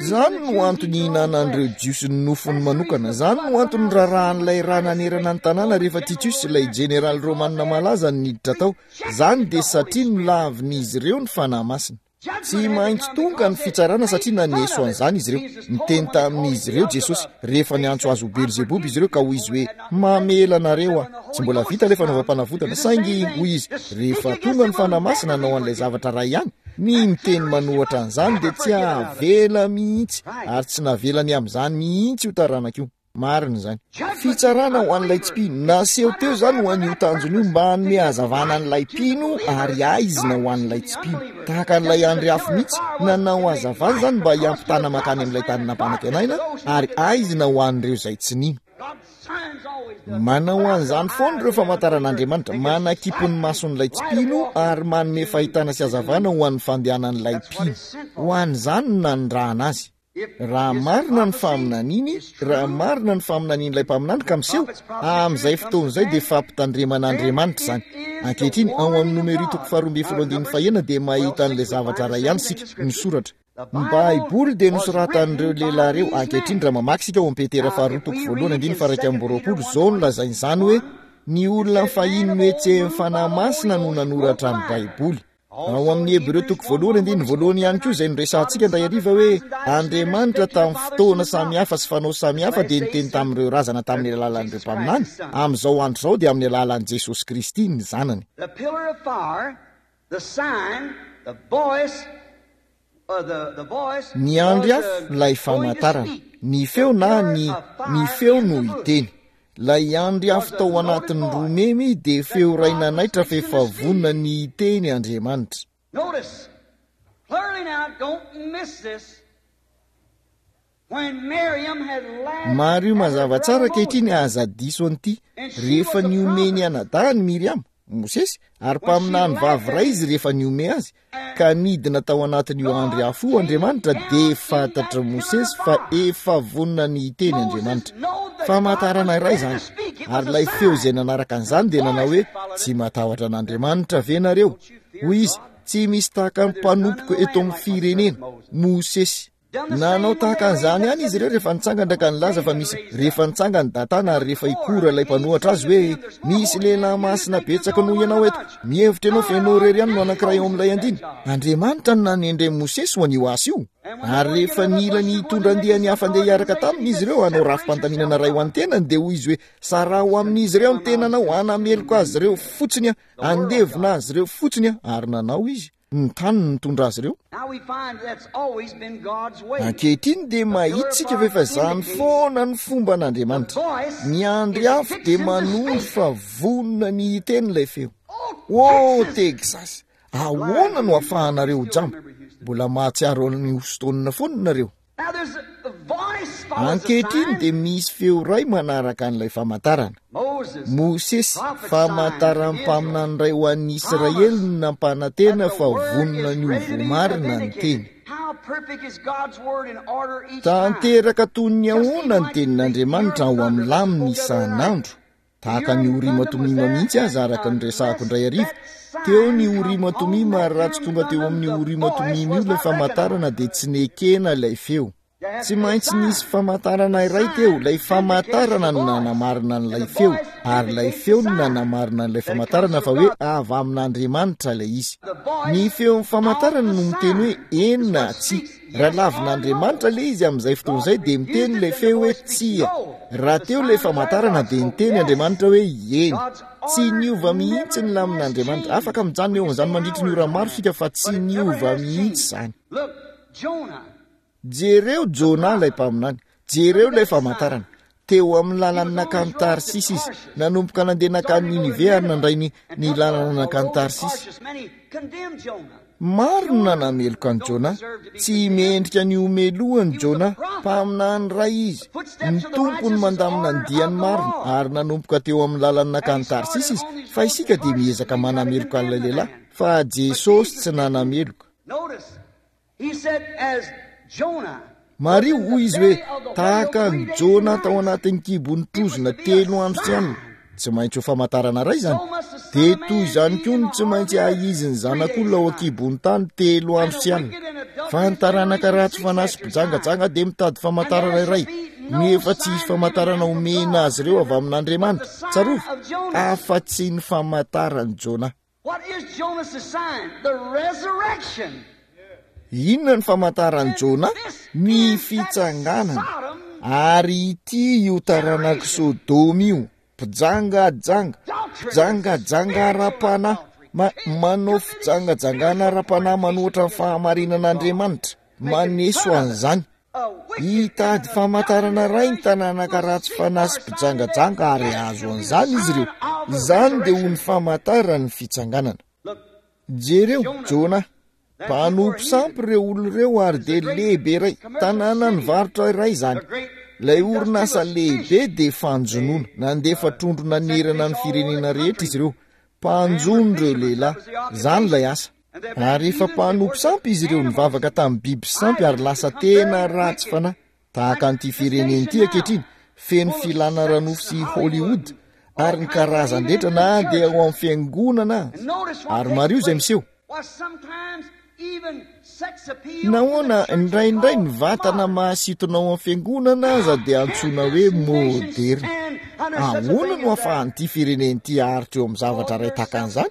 Izany no antony ihinanan'ireo Jiosy ny nofony manokana. Izany no antony nirarahan'ilay rà nanerana ny tanàna rehefa Titus, ilay jeneraly romanina malaza, no niditra tao. Izany dia satria nolavin'izy ireo ny Fanahy Masina. Tsy maintsy tonga ny fitsarana satria naneso an'izany izy ireo. Niteny tamin'izy ireo Jesosy rehefa niantso azy ho Belzeboba izy ireo ka hoy izy hoe, Mamela anareo aho. Tsy mbola vita ilay fanaovam-panavotana, saingy hoy izy, rehefa tonga ny Fanahy Masina hanao an'ilay zavatra iray ihany, ny miteny manohatra an'izany dia tsy havela mihitsy, ary tsy navelany amin'izany mihitsy io taranaka io. Marina izany. Fitsarana ho an'ilay tsy mpino. Naseho teo izany ho an'io tanjona io mba hanome hazavana an'ilay mpino ary haizina ho an'ilay tsy mpino. Tahaka an'ilay andry afo mihitsy, nanao hazavana izany mba hiampitana mankany amin'ilay tany nampanantenaina ary haizina ho an'ireo izay tsy nino. Manao an'izany foana ireo famantaran'Andriamanitra, manakimpy ny mason'ilay tsy mpino ary manome fahitana sy hazavana ho an'ny fandehanan'ilay mpino. Ho an'izany no nanirahana azy. Raha marina ny faminaniany, raha marina ny faminanian'ilay mpaminany ka miseho, amin'izay fotoana izay dia fampitandreman'Andriamanitra izany. Ankehitriny, ao amin'ny Nomery toko faharoa ambin'ny folo andininy fahenina dia mahita an'ilay zavatra iray ihany isika, ny soratra. Ny Baiboly dia nosoratan'ireo lehilahy ireo. Ankehitriny, raha mamaky isika ao amin'ny Petera faharoa toko voalohany andininy faha-iraika amby roapolo, izao no lazainy izany hoe, ny olona fahiny nohetsehin'ny Fanahy Masina no nanoratra ny Baiboly. Ao amin'ny Hebreo toko voalohany andininy voalohany ihany koa izay noresahantsika indray hariva hoe Andriamanitra tamin'ny fotoana samihafa sy fanao samihafa dia niteny tamin'ireo razana tamin'ny alalan'ireo mpaminany, amin'izao andro izao dia amin'ny alalan'i Jesosy Kristy ny Zanany. The pillar of fire, the sign, the voice, uh, the, the voice Ny andry was afo, uh, ilay going to famantarana, speak. ny The feo na pillar ny of ny fire feo in no the bush hiteny. Ilay andry afo was a tao noted anatin'ny voice roa memy dia that feo iray God was nanaitra fixing fa to efa vonona speak. ny hiteny Andriamanitra. Notice clearly now, don't miss this. When Miriam had laughed Mariho at her mazava brother tsara ankehitriny Moses, aza diso an'ity. and she Rehefa was a nihomehy ny prophet, anadahiny Miriama, Mosesy, ary when she mpaminany laughed vavy at iray him, izy rehefa nihomehy azy, and ka nidina tao anatin'io andry God afo io came Andriamanitra down dia in that fantatr'i pillar of Mosesy fa fire. efa vonona ny hiteny Moses Andriamanitra. knew that God Famantarana was iray ready to izany. speak. It Ary was a ilay feo izay sign. nanaraka The an'izany dia nanao voice hoe that followed tsy it. matahotra an'Andriamanitra ve nareo? Don't you fear Hoy izy, God? tsy misy tahaka ny For there's none in mpanompoko the eto land amin'ny like my servant firenena, Moses. Mosesy. Done the Nanao same when they tahaka raised an'izany up ihany izy ireo rehefa nitsangana ka nilaza fa David misy raised rehefa up. nitsangany Datana ary rehefa Korah hikora ilay against mpanohatra azy saying to hoe them, There's more misy holy lehilahy men than you masina think you're the betsaka only noho one in ianao the eto. bunch. Mihevitra ianao fa God ianao irery ihany no ordained anankiray ao Moses amin'ilay that andiany. job. Andriamanitra no nanendre Mosesy ho an'io asa io. And when they Ary want to get rehefa another nila bunch ny of boys hitondra and make andiany some hafa andeha hiaraka organization, taminy he izy said, ireo hanao Separate rafi-pandaminana yourself iray ho from an'ny tenany dia hoy izy hoe saraho amin'izy ireo ny tenanao hanameloka azy ireo fotsiny aho, the world handevona God. azy ireo fotsiny aho. Ary nanao izy. Ny tany no nitondra azy ireo. Now we find that's always been God's way. Ankehitriny dia The pillar of mahita isika fa fire efa izany indicates foana ny fomba the an'Andriamanitra. voice Ny andry is afo dia fixing to manondro speak. fa vonona ny hiteny ilay feo. Oh, Oh, Texas! Texas! Blind Ahoana no you, you ahafahanareo ho still jamba? remember Houston. Mbola mahatsiaro an'i Houston foana nareo. Now there's a, the voice follows the Ankehitriny sign. dia misy feo iray manaraka an'ilay famantarana. Moses, Mosesy, prophet sign to famantaran'ny Israel, mpaminany iray ho an'ny Israely promise no nampanantena that the fa word vonona is ny ho ready to be voamarina ny teny. vindicated. How perfect is God's word in order each time. Tanteraka toy ny Just ahoana even ny like the tenin'Andriamanitra Urim ao thunder amin'ny that laminy spoke the other night. isan'andro. The Tahaka ny Urim Orima thunder was Tomima there, mihitsy aza and araka ny resahako unless indray hariva. that Teo ny sign come Orima on Tomima that ary raha tsy Urim tonga teo thunder, amin'ny the Orima voice Tomima io was ilay not famantarana recognized. dia tsy nekena ilay feo. You have Tsy to be a maintsy nisy sign. famantarana The iray teo, sign ilay vindicates the famantarana no voice, nanamarina and an'ilay the feo, voice ary ilay vindicates the feo no sign nanamarina an'ilay that it comes famantarana from fa hoe God. avy amin'Andriamanitra ilay izy. The Ny voice feon'ny of famantarana the no miteny hoe sign is eny na what tsia. speaks Raha yes or lavin'Andriamanitra no. ilay izy amin'izay fotoana God izay dia miteny refused ilay it, and the feo hoe voice speaks tsia. no. Raha The teo ilay sign was there, famantarana God dia spoke niteny yes. Andriamanitra hoe eny. God's Tsy order niova mihitsy never ny has lamin'Andriamanitra. Afaka changed. mijanona We eo can amin'izany stay mandritry ny hours ora on maro that, isika fa but tsy it never niova has mihitsy changed. izany. Look, Jonah, Jereo the Jona ilay prophet, mpaminany. Jereo look at ilay that sign. famantarana. Teo amin'ny He lalany was on his nankany road to Tarsisy izy. Tarshish, Nanomboka nandeha nankany started to go to Ninive ary Nineveh, nandray ny, and ny took lalana a, a nankany road to Tarsisy. Tarshish. Many condemned Jonah. Maro no Jonah nanameloka an'i don't Jona. deserve to be Tsy condemned. mendrika ny homelohany He was a Jona. prophet. Mpaminany iray izy. The Ny footsteps of the Tompo no righteous is mandamina ny ordered diany of the marina Lord. ary nanomboka teo amin'ny lalany And he nankany started Tarsisy izy. on his Fa road to isika dia Tarshish, miezaka and we try to manameloka condemn an'ilay the lehilahy. man. Fa But Jesosy Jesus tsy didn't. nanameloka. Notice, he said, as Jonah was Mariho in the hoy izy hoe belly of the whale tahaka three an'i days and Jona tao nights, anatin'ny kibon'ny it was trozona to be a telo andro sy alina. sign. Tsy maintsy ho famantarana iray izany. So must the Son Dia of toy Man izany be koa in no the tsy heart of maintsy the earth hahizin'ny three days zanak'olona ao and nights. an-kibon'ny tany telo And andro the sy alina. wicked and Fa adulterous ny taranaka generation ratsy seeks fanahy sy after signs. mpijangajanga dia mitady And famantarana there iray. shall be no Nefa tsy hisy sign given famantarana them from omena God azy ireo avy but the amin'Andriamanitra. sign Tsarovy, of Jonas. afa-tsy ny famantaran'i Jona. What is Jonas' sign? The resurrection. Inona ny famantaran'i And Jona? this Ny is that fitsanganana. Sodom Ary ity io taranak'i generation. Sodoma io, mpijangajanga, Adultery, mpijangajanga spiritual ara-panahy, adultery, ma- manao committing fijangajangana spiritual ara-panahy fornication manohitra ny against God, fahamarinan'Andriamanitra, making maneso fun of it. an'izany. A wicked and Hitady an famantarana adulterous iray ny generation tananaka will ratsy seek fanahy for sy a sign and they mpijangajanga ary get it. hahazo It'll be the an'izany izy ireo. sign of the Izany dia ho ny resurrection. famantaran'ny fitsanganana. Look, Jereo, Jonah, Jona, that people were mpanompo heathen. sampy ireo olona ireo ary It's the dia great lehibe iray, commercial tanàna city, nivarotra iray izany. the great Ilay orinasa industrialist lehibe fish. dia fanjonoana, They nandefa uh, trondro sent nanerana fish ny all over firenena the rehetra country. izy ireo. Man were Mpanjono ireo fishermen. That lehilahy, was the izany ilay occupation. asa. Ary efa mpanompo sampy izy ireo, nivavaka tamin'ny biby sampy ary lasa tena ratsy fanahy. Tahaka an'ity firenena ity ankehitriny, feno filana ara-nofo sy Hollywood ary ny karazan-drehetra na dia ao amin'ny fiangonana aza. Ary mariho izay miseho. Nahoana indraindray ny vatana mahasintona ao amin'ny fiangonana aza dia antsoina hoe moderna. Ahoana no ahafahan'ity firenena ity haharitra eo amin'ny zavatra iray tahaka an'izany?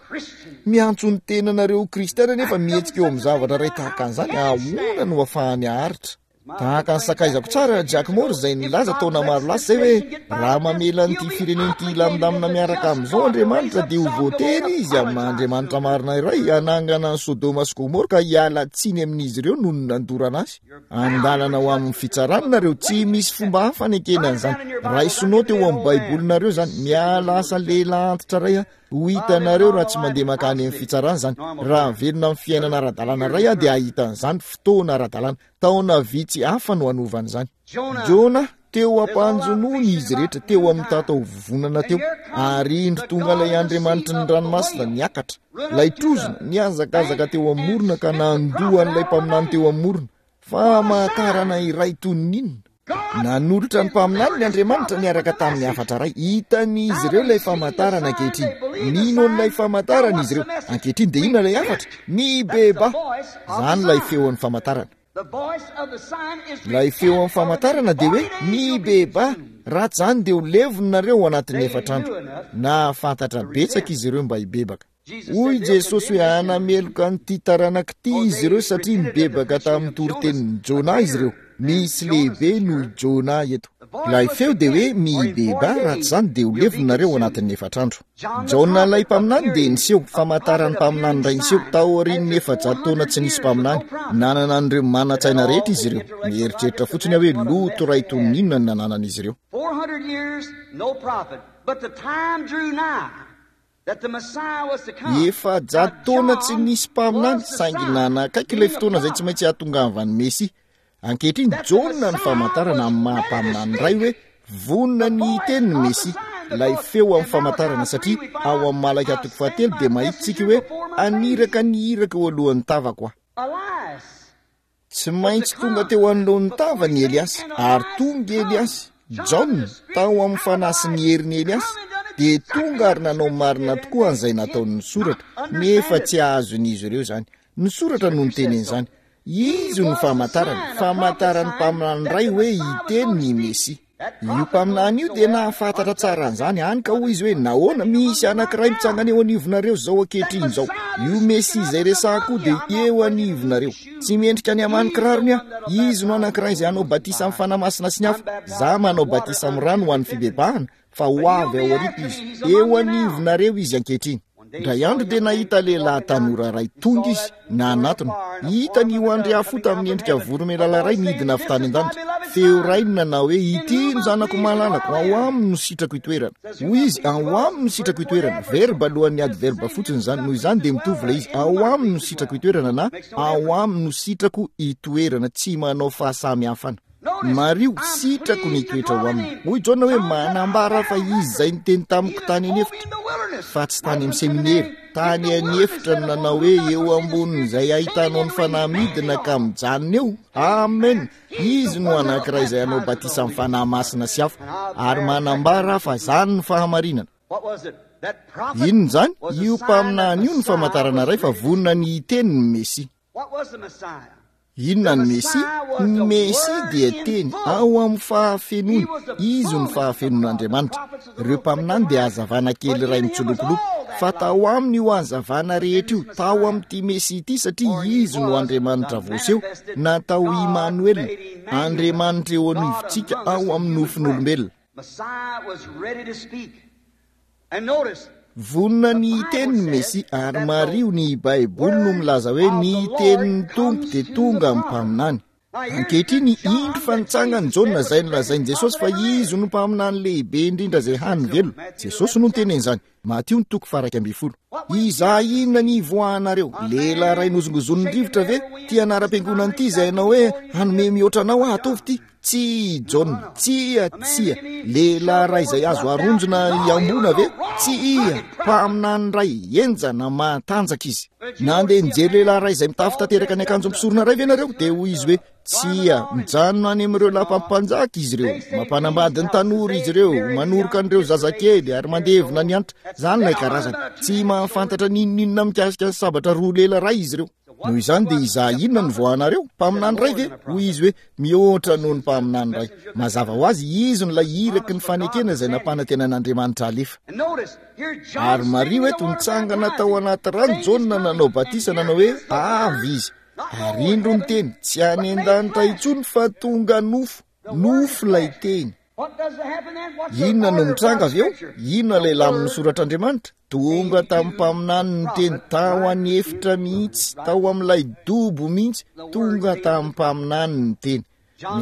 Miantso ny tenanareo ho kristiana nefa mihetsika eo amin'ny zavatra iray tahaka an'izany. Ahoana no ahafahany haharitra? Tahaka ny sakaizako tsara Jack Moore izay nilaza taona maro lasa izay hoe raha mamela an'ity firenena ity hilamindamina miaraka amin'izao Andriamanitra dia ho voatery izy amin'ny maha Andriamanitra marina iray hanangana an'i Sodoma sy Gomora ka hiala tsiny amin'izy ireo noho ny nandorana azy. Andalana ho amin'ny fitsarana nareo, tsy misy fomba hafa hanekena an'izany. Raiso note eo amin'ny Baibolinareo izany. Miala asa lehilahy antitra iray aho. Ho hitanareo raha tsy mandeha mankany amin'ny fitsarana izany. Raha velona amin'ny fiainana ara-dalàna iray aho dia hahita an'izany fotoana ara-dalàna. Taona vitsy hafa no hanovana izany. Jona, teo am-panjonoana izy rehetra, teo amin'ny tatao vovonana teo, ary indro tonga ilay Andriamanitry ny ranomasina niakatra. Ilay trozona nihazakazaka teo amin'ny morona ka nandoa an'ilay mpaminany teo amin'ny morona. Famantarana iray toy ny inona? Nanolotra ny mpaminany ny Andriamanitra niaraka tamin'ny hafatra iray. Hitan'izy ireo ilay famantarana ankehitriny. Mino an'ilay famantarana izy ireo. Ankehitriny dia inona ilay hafatra? Mibebaha. Izany ilay feon'ny famantarana. Ilay feon'ny famantarana dia hoe mibebaha. Raha tsy izany dia ho levonareo ao anatin'ny efatra andro. Nahafantatra betsaka izy ireo mba hibebaka. Hoy Jesosy hoe hanameloka an'ity taranaka ity izy ireo satria nibebaka tamin'ny toritenin'i Jona izy ireo. Misy lehibe noho i Jona eto. Ilay feo dia hoe mibebaha, raha tsy izany dia ho levonareo ao anatin'ny efatra andro. Jaona ilay mpaminany dia niseho, famantaran'ny mpaminany iray niseho, taorian'ny efajato taona tsy nisy mpaminany. Nanana an'ireo manan-tsaina rehetra izy ireo. Mieritreritra fotsiny aho hoe loto iray toy ny inona no nananan'izy ireo. Efajato taona tsy nisy mpaminany, saingy nanakaiky ilay fotoana izay tsy maintsy hahatongavan'ny Mesia. Ankehitriny, Jaona ny famantarana amin'ny maha mpaminany iray hoe vonona ny hiteny ny Mesia. Ilay feo amin'ny famantarana, satria ao amin'ny Malaka toko fahatelo dia mahita isika hoe haniraka ny iraka eo alohan'ny tavako aho. Tsy maintsy tonga teo anoloan'ny tavany i Eliasy, ary tonga i Eliasy. Jaona, tao amin'ny fanahy sy ny herin'i Eliasy, dia tonga ary nanao marina tokoa an'izay nataon'ny soratra, nefa tsy azon'izy ireo izany. Ny soratra no niteny an'izany. Izy no famantarana, famantaran'ny mpaminany iray hoe hiteny ny Mesia. Io mpaminany io dia nahafantatra tsara an'izany, hany ka hoy izy hoe, nahoana, misy anankiray mitsangana eo anivonareo izao ankehitriny izao. Io Mesia izay resahako io dia eo anivonareo. Tsy mendrika ny hamaha ny kirarony aho. Izy no anankiray izay hanao batisa amin'ny Fanahy Masina sy ny afo. Izaho manao batisa amin'ny rano ho an'ny fibebahana, fa ho avy ao aoriako izy. Eo anivonareo izy ankehitriny. Indray andro dia nahita lehilahy tanora iray tonga izy, nanatona. Hitany io andriafo tamin'ny endrika voromailala iray nidina avy tany an-danitra. Feo iray no nanao hoe, Ity no zanako malalako, ao aminy no sitrako itoerana. Hoy izy, ao aminy no sitrako itoerana. Verba alohan'ny adverba fotsiny izany. Noho izany dia mitovy ilay izy, ao aminy no sitrako itoerana na ao aminy no sitrako itoerana. Tsy manao fahasamihafana. Mariho, sitrako ny hitoetra ao aminy. Hoy Jaona hoe, manambara fa izy izay niteny tamiko tany an'efitra, fa tsy tany amin'ny seminera. Tany an'efitra no nanao hoe, eo ambonin'izay ahitanao ny Fanahy midina ka mijanona eo. Amen. Izy no anankiray izay hanao batisa amin'ny Fanahy Masina sy afo. Ary manambara fa izany no fahamarinana. Inona izany? Io mpaminany io no famantarana iray fa vonona ny hiteny ny Mesia. Inona ny Mesia? Ny Mesia dia teny ao amin'ny fahafenoany. Izy no fahafenoan'Andriamanitra. Ireo mpaminany dia hazavana kely iray mitsolopolopy, fa tao aminy io hazavana rehetra io, tao amin'ity Mesia ity, satria Izy no Andriamanitra voaseho, natao Imanoela, Andriamanitra eo anivontsika ao amin'ny nofon'olombelona. Vonona ny hiteny ny Mesia, ary mariho ny Baiboly no milaza hoe ny tenin'ny Tompo dia tonga amin'ny mpaminany. Ankehitriny, indro fa nitsangana Jaona izay nolazain'i Jesosy fa izy no mpaminany lehibe indrindra izay hany velona. Jesosy no niteny an'izany. Matio ny toko faha-iraika ambin'ny folo. Izaho inona ny hivoahanareo? Lehilahy iray nozongozonin'ny rivotra ve? Ity anaram-piangonana ity izay hanao hoe hanome mihoatra anao aho, ataovy ity. Tsia, Jaona, tsia, tsia. Lehilahy iray izay azo aronjona hiamboana ve? Tsia, mpaminany iray henjana mahatanjaka izy. Nandeha nijery lehilahy iray izay mitafy tanteraka ny akanjo mpisorona iray ve nareo? Dia hoy izy hoe, tsia, mijanona any amin'ireo lapam-panjaka izy ireo, mampanambady ny tanora izy ireo, manoroka an'ireo zazakely ary mandevina ny antitra. Izany ilay karazana. Tsy mahafantatra n'inon'inona mikasika ny sabatra roa lela iray izy ireo. Noho izany dia izaho inona no voahanareo? Mpaminany iray ve? Hoy izy hoe, mihoatra noho ny mpaminany iray. Mazava ho azy, izy no ilay iraky ny fanekena izay nampanantenan'Andriamanitra alefa. Ary mariho eto, nitsangana tao anaty rano Jaona nanao batisa, nanao hoe, avy izy. Ary indro ny teny, tsy any an-danitra intsony fa tonga nofo, nofo ilay teny. Inona no mitranga avy eo? Inona ilay lamin'ny soratr'Andriamanitra? Tonga tamin'ny mpaminany ny teny, tao an'efitra mihitsy, tao amin'ilay dobo mihitsy, tonga tamin'ny mpaminany ny teny.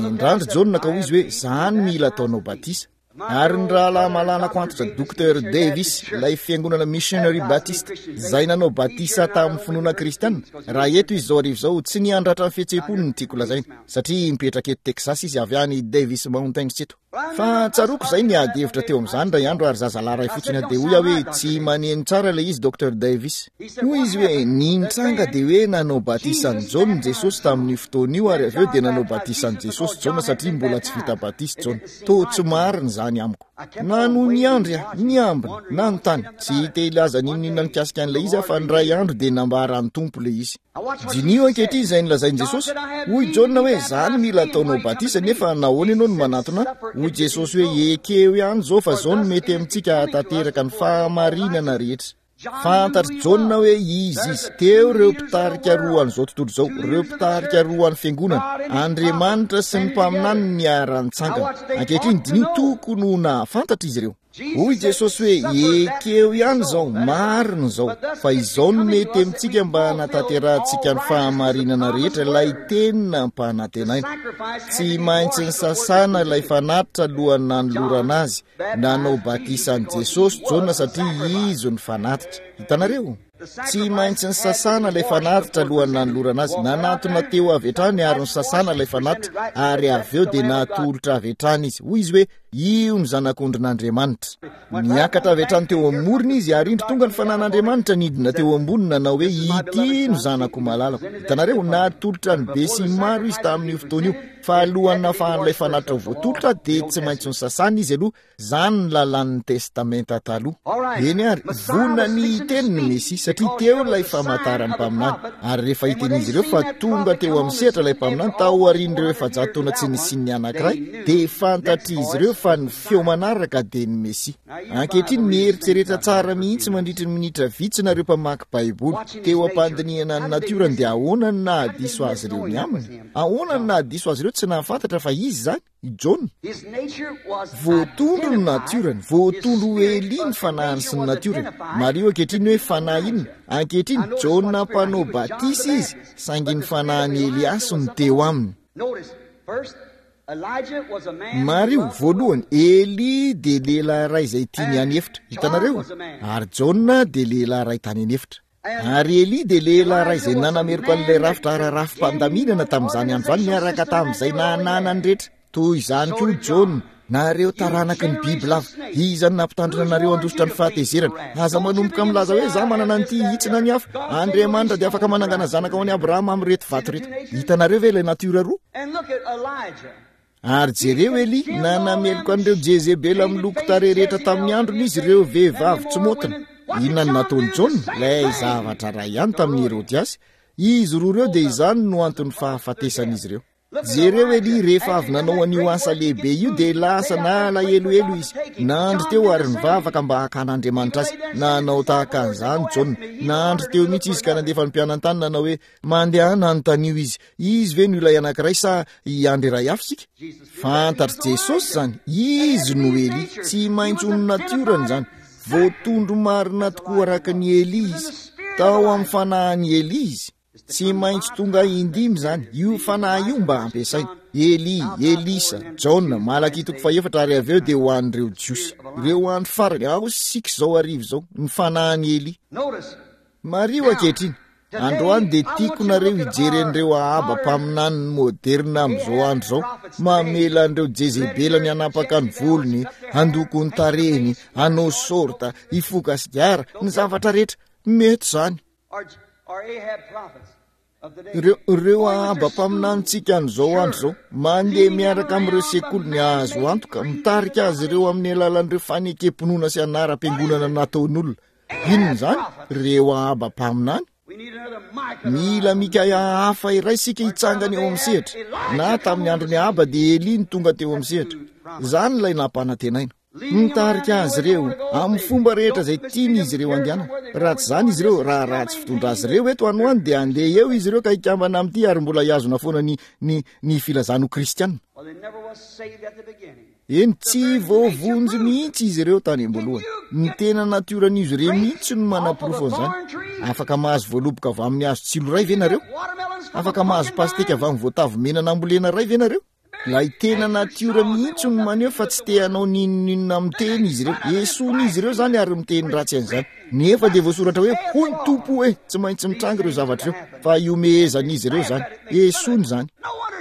Nendrandry Jaona ka hoy izy hoe, zany mila ataonao batisa. Ary ny rahalahy malalako antitra Docteur Davis, ilay fiangonana Missionary Baptist, izay nanao batisa tamin'ny finoana kristiana, raha eto izy izao hariva izao, tsy niandratra ny fihetseham-pony no tiako lazaina, satria mipetraka eto Texas izy avy any Davis Mountains eto. Fa tsaroako izay niady hevitra teo amin'izany indray andro, ary zazalahy iray fotsiny aho, dia hoy aho hoe, tsy maneno tsara ilay izy Docteur Davis. Hoy izy hoe, ny nitranga dia hoe nanao batisa an'i Jaona Jesosy tamin'io fotoana io, ary avy eo dia nanao batisa an'i Jesosy Jaona satria mbola tsy vita batisa Jaona. Toa tsy marina izany amiko. Nanohy niandry aho, niambina, nanontany. Tsy te hilaza n'inon'inona mikasika an'ilay izy aho, fa indray andro dia nambaran'ny Tompo ilay izy. Diniho ankehitriny izay nolazain'i Jesosy. Hoy Jaona hoe, izaho no mila ataonao batisa, nefa nahoana ianao no manatona ahy? Hoy Jesosy hoe, ekeo ihany izao fa izao no mety amintsika hahatanteraka ny fahamarinana rehetra. Fantatr'i Jaona hoe izy izy. Teo ireo mpitarika roa an'izao tontolo izao, ireo mpitarika roa an'ny fiangonana, Andriamanitra sy ny mpaminany niara-nitsangana. Ankehitriny diniho, tokony ho nahafantatra izy ireo. Hoy Jesosy hoe, ekeo ihany izao, marina izao, fa izao no mety amintsika mba hanatanterahantsika ny fahamarinana rehetra, ilay teny nampanantenaina. Tsy maintsy nisasana ilay fanatitra alohan'ny nanolorana azy. Nanao batisa an'i Jesosy Jaona satria izy no fanatitra. Hitanareo? Tsy maintsy nisasana ilay fanatitra alohan'ny nanolorana azy. Nanatona teo avy hatrany ary nisasana ilay fanatitra, ary avy eo dia natolotra avy hatrany izy. Hoy izy hoe, io ny zanak'ondrin'Andriamanitra. Niakatra avy hatrany teo amin'ny morona izy, ary indro tonga ny fanan'Andriamanitra nidina teo ambony nanao hoe, ity no zanako malalako. Hitanareo? Natolotra ny besinimaro izy tamin'io fotoana io. Fa alohan'ny nahafahan'ilay fanatitra ho voatolotra dia tsy maintsy nosasana izy aloha. Izany ny lalàn'ny Testamenta Taloha. Eny ary, vonona ny hiteny ny Mesia, satria teo ilay famantaran'ny mpaminany. Ary rehefa hitan'izy ireo fa tonga teo amin'ny sehatra ilay mpaminany, taorian'ireo efajato taona tsy nisian'ny anankiray, dia fantatr'izy ireo fa ny feo manaraka dia ny Mesia. Ankehitriny, mieritrereta tsara mihitsy mandritry ny minitra vitsy nareo mpamaky Baiboly. Teo am-pandinihana ny natiorany, dia ahoana no nahadiso azy ireo ny aminy? Ahoana no nahadiso azy ireo tsy nahafantatra fa izy izany? I Jaona. Voatondro ny natiorany, voatondro ho Elia ny fanahiny sy ny natiorany. Mariho ankehitriny hoe fanahy inona? Ankehitriny, Jaona mpanao batisa izy, saingy ny fanahin'i Eliasy no teo aminy. Mariho, voalohany, Elia dia lehilahy iray izay tia ny an'efitra. Hitanareo? Ary Jaona dia lehilahy iray tany an'efitra. Ary Elia dia lehilahy iray izay nanameloka an'ilay rafitra ara-rafi-pandaminana tamin'izany andro izany niaraka tamin'izay nananany rehetra. Toy izany koa Jaona, nareo taranaky ny bibilava, iza no nampitandrina anareo handositra ny fahatezerana? Aza manomboka milaza hoe izaho manana an'ity hitsina ny hafa. Andriamanitra dia afaka manangana zanaka ho an'i Abrahama amin'ireto vato ireto. Hitanareo ve ilay natiora roa? Ary jereo Elia, nanameloka an'ireo Jezebela miloko tarehy rehetra tamin'ny androny izy, ireo vehivavy tsy maotina. Inona no nataon'i Jaona? Ilay zavatra iray ihany tamin'i Herodiasy. Izy roa ireo dia izany no anton'ny fahafatesan'izy ireo. Jereo Elia, rehefa avy nanao an'io asa lehibe io dia lasa nalahelohelo izy. Nandry teo ary nivavaka mba hakan'Andriamanitra azy. Nanao tahaka an'izany Jaona. Nandry teo mihitsy izy ka nandefa ny mpianany tany nanao hoe, Mandehana anontanio izy. Izy ve no ilay anankiray sa hiandry iray hafa isika? Fantatr'i Jesosy izany. Izy no Elia. Tsy maintsy ho ny natiorany izany. Voatondro marina tokoa araka ny Elia izy. Tao amin'ny fanahin'i Elia izy. Tsy maintsy tonga indimy izany, io fanahy io mba hampiasaina. Elia, Elisa, Jaona, Malakia toko fahefatra ary avy eo dia ho an'ireo Jiosy. Ireo andro farany, ao isika izao hariva izao, ny fanahin'i Elia. Mariho ankehitriny, Androany dia tiako nareo hijery an'ireo Ahaba mpaminany moderna amin'izao andro izao, mamela an'ireo Jezebelany hanapaka ny volony, handoko ny tarehiny, hanao sorta, hifoka sigara, ny zavatra rehetra. Mety izany. Ireo, ireo Ahaba mpaminanintsika an'izao andro izao, mandeha miaraka amin'ireo sekoliny azo antoka, mitarika azy ireo amin'ny alalan'ireo fanekem-pinoana sy anaram-piangonana nataon'olona. Inona izany? Ireo Ahaba mpaminany. Mila Mikaia hafa iray isika hitsangana eo amin'ny sehatra. Na tamin'ny andron'i Ahaba dia Elia no tonga teo amin'ny sehatra. Izany ilay nampanantenaina. Mitarika azy ireo amin'ny fomba rehetra izay tiany izy ireo andehanana. Raha tsy izany izy ireo, raha ratsy fitondra azy ireo eto anoany dia handeha eo izy ireo ka hikambana amin'ity ary mbola hihazona foana ny, ny, ny filazany ho kristiana. Eny, tsy voavonjy mihitsy izy ireo tany am-boalohany. Ny tena natioran'izy ireo mihitsy no manaporofo an'izany. Afaka mahazo voaloboka avy amin'ny hazo tsilo iray ve nareo? Afaka mahazo pasteka avy amin'ny voatavo mena nambolena iray ve nareo? Ilay tena natiora mihitsy no maneho fa tsy te hanao n'inon'inona amin'ny teny izy ireo. Esoin'izy ireo izany ary miteny ratsy an'izany. Nefa dia voasoratra hoe, hoy ny Tompo hoe, tsy maintsy mitranga ireo zavatra ireo, fa ihomehezan'izy ireo izany. Esoiny izany.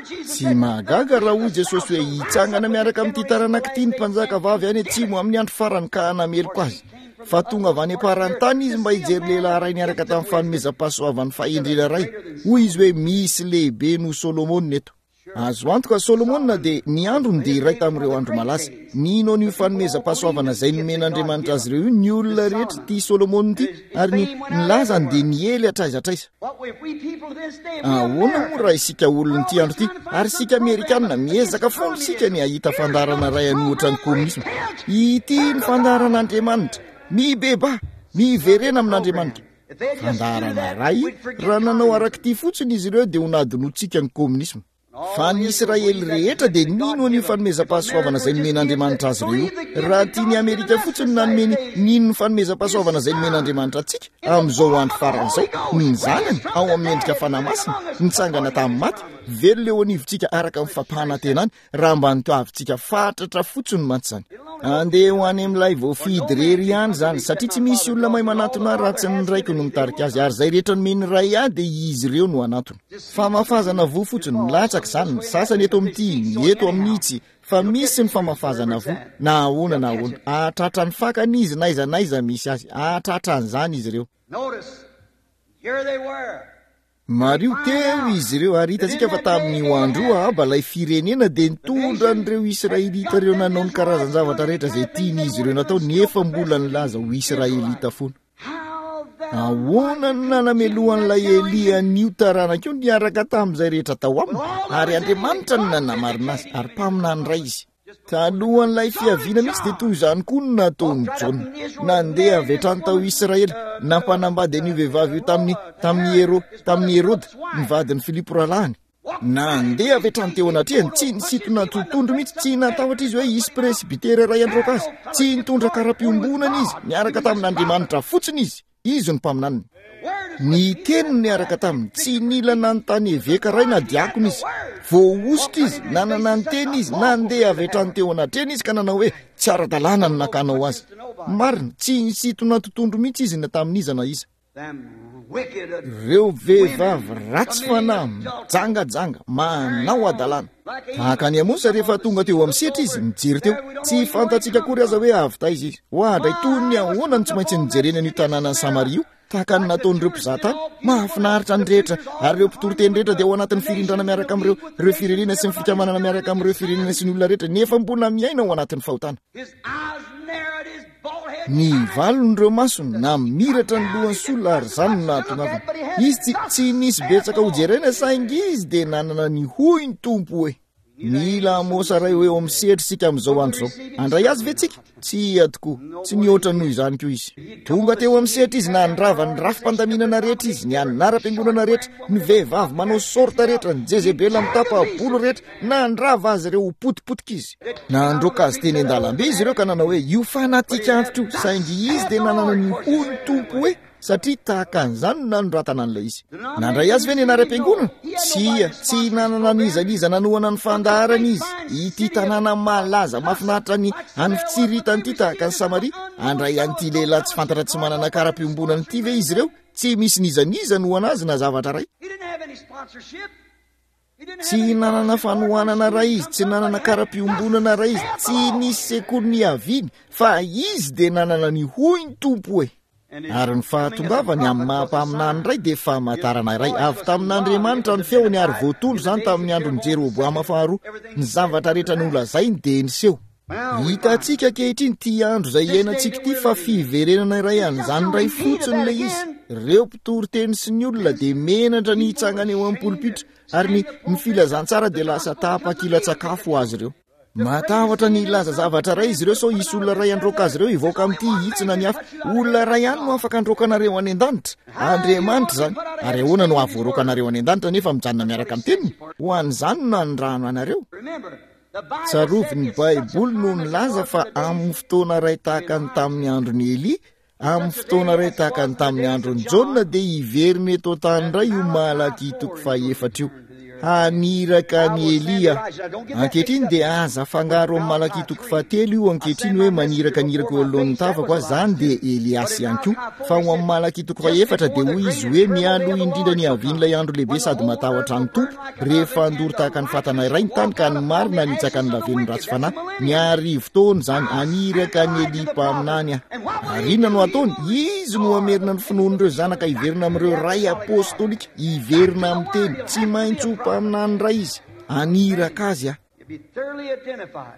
Tsy mahagaga raha hoy Jesosy hoe, hitsangana miaraka amin'ity taranaka ity ny mpanjaka vavy any atsimo amin'ny andro farany ka hanameloka azy. Fa tonga avy any am-paran-tany izy mba hijery lehilahy iray niaraka tamin'ny fanomezam-pahasoavan'ny fahendrena iray. Hoy izy hoe, misy lehibe noho Solomona eto. Azo antoka, Solomona dia, ny androny dia iray tamin'ireo andro malaza. Nino an'io fanomezam-pahasoavana izay nomen'Andriamanitra azy ireo io ny olona rehetra ity Solomona ity, ary ny, ny lazany dia niely hatraiza hatraiza. Ahoana moa raha isika olon'ity andro ity, ary isika Amerikana, miezaka foana isika ny hahita fandaharana iray hanohitra ny kominisma. Ity ny fandaharan'Andriamanitra. Mibebaha! Miverena amin'Andriamanitra! Fandaharana iray, raha nanao arak'ity fotsiny izy ireo dia ho nadinoantsika ny kominisma. Fa ny Israely rehetra dia nino an'io fanomezam-pahasoavana izay nomen'Andriamanitra azy ireo io. Raha tian'i Amerika fotsiny nanome ny nino ny fanomezam-pahasoavana izay nomen'Andriamanitra antsika amin'izao andro farany izao, ny Zanany ao amin'ny endrika Fanahy Masina, nitsangana tamin'ny maty, velona eo anivontsika araka ny fampanantenany, Raha mba notoavintsika fatratra fotsiny mantsy izany. Andeha ho any amin'ilay voafidy irery ihany izany, satria tsy misy olona mahay manatona ahy raha tsy ny Raiko no mitarika azy, ary izay rehetra nomen'ny Ray ahy dia izy ireo no hanatona. Famafazana voa fotsiny, milatsaka izany, ny sasany eto amin'ity, ny eto amin'itsy, fa misy ny famafazana voa, na ahoana na ahoana. Hahatratra ny fakany izy n'aiza n'aiza misy azy. Hahatratra an'izany izy ireo. Here they were. Mariho, teo izy ireo, ary hitantsika fa tamin'io andro io Ahaba, ilay firenena, dia nitondra an'ireo Israelita ireo nanao ny karazan-javatra rehetra izay tian'izy ireo natao, nefa mbola nilaza ho Israelita foana. Ahoana no nanamelohan'ilay Elia an'io taranaka io niaraka tamin'izay rehetra tao aminy? Ary Andriamanitra no nanamarina azy, ary mpaminany iray izy. Talohan'ilay fiaviana mihitsy dia toy izany koa no nataon'i Jaona. Nandeha avy hatrany tao Israely, nampanambady an'io vehivavy io tamin'ny, tamin'i Hero, tamin'i Heroda, ny vadin'i Filipo rahalahiny. Nandeha avy hatrany teo anatrehany, tsy nisintona totohondry mihitsy, tsy natahotra izy hoe hisy presbytera iray handroaka azy, tsy nitondra kara-piombonana izy, niaraka tamin'Andriamanitra fotsiny izy. Izy no mpaminaniny. Ny teny no niaraka taminy. Tsy nila nanontany eveka iray na diakona izy. Voahosotra izy, nanana ny teny izy, nandeha avy hatrany teo anatrehany izy ka nanao hoe, Tsy ara-dalàna ny nakanao azy. Marina, tsy nisintona totohondry mihitsy izy na tamin'iza na iza. Ireo vehivavy ratsy fanahy, mijangajanga, manao hadalana. Tahaka an'i Amosa rehefa tonga teo amin'ny sehatra izy, nijery teo. Tsy fantatsika akory aza hoe avy taiza izy. Oadray, toy ny ahoana no tsy maintsy nijereny an'io tanànan'i Samaria io, tahaka ny nataon'ireo mpizaha tany. Mahafinaritra ny rehetra, ary ireo mpitoriteny rehetra dia ao anatin'ny firindrana miaraka amin'ireo, ireo firenena sy ny fikambanana miaraka amin'ireo firenena sy ny olona rehetra, nefa mbola miaina ao anatin'ny fahotana. Ny valon'ireo masony namiratra ny lohan'i Saola ary izany no nahatongavany. Izy tsy, tsy nisy betsaka ho jerena saingy izy dia nanana ny hoy ny Tompo hoe. Mila Amosa iray ho eo amin'ny sehatra isika amin'izao andro izao. Handray azy ve tsika? Tsia tokoa. Tsy mihoatra noho izany koa izy. Tonga teo amin'ny sehatra izy, nandrava ny rafi-pandaminana rehetra izy, ny anaram-piangonana rehetra, ny vehivavy manao sorta rehetra, ny Jezebela mitapa-bolo rehetra, nandrava azy ireo ho potipotika izy. Nandroaka azy teny an-dalambe izy ireo ka nanao hoe, Io fanatika antitra io. Saingy izy dia nanana ny hoy ny Tompo hoe, Satria tahaka an'izany no nanoratana an'ilay izy. Nandray azy ve ny anaram-piangonana? Tsia, tsy nanana n'iza n'iza nanohana ny fandaharana izy. Ity tanàna malaza mahafinaritra ny any fitsiritany ity tahaka ny Samaria, handray an'ity lehilahy tsy fantatra tsy manana kara-piombonana ity ve izy ireo? Tsy misy n'iza n'iza nohana azy na zavatra iray. Tsy nanana fanohanana iray izy, tsy nanana kara-piombonana iray izy, tsy nisy sekoly niaviany, fa izy dia nanana ny hoy ny Tompo hoe. Ary ny fahatongavany amin'ny maha-mpaminany iray dia famantarana iray avy tamin'Andriamanitra ny feony, ary voatondro izany tamin'ny andron'i Jeroboama faharoa. Ny zavatra rehetra nolazainy dia niseho. Hitantsika ankehitriny ity andro izay iainantsika ity fa fiverenana iray an'izany iray fotsiny ilay izy. Ireo mpitory teny sy ny olona dia menatra ny hitsangana eo amin'ny polipitra, ary ny, ny filazantsara dia lasa tapakila-tsakafo ho azy ireo. Matahotra ny hilaza zavatra iray izy ireo sao hisy olona iray handroaka azy ireo hivoaka amin'ity hitsina ny hafa. Olona iray ihany no afaka handroaka anareo any an-danitra. Andriamanitra izany. Ary ahoana no hahavoaroaka anareo any an-danitra nefa mijanona miaraka amin'ny teniny? Ho an'izany no nanirahana anareo. Tsarovy ny Baiboly no nilaza fa amin'ny fotoana iray tahaka ny tamin'ny andron'i Elia, amin'ny fotoana iray tahaka ny tamin'ny andron'i Jaona, dia hiverina eto an-tany indray io Malakia toko fahefatra io. Haniraka an'i Elia. Ankehitriny dia aza afangaro amin'ny Malakia toko fahatelo io ankehitriny hoe maniraka ny irako eo anoloan'ny tavako aho, izany dia Eliasy ihany koa. Fa ao amin'ny Malakia toko fahefatra dia hoy izy hoe mialoha indrindra ny havian'ilay andro lehibe sady matahotra ny Tompo, rehefa handoro tahaka ny fatana iray ny tany ka ny marina hanitsaka ny lavenon'ny ratsy fanahy. Ny arivo taona izany, haniraka an'i Elia mpaminany aho. Ary inona no ataony? Izy no hamerina ny finoan'ireo zanaka hiverina amin'ireo ray apostolika, hiverina amin'ny teny. Tsy maintsy ho mpaminany iray izy. Haniraka azy aho.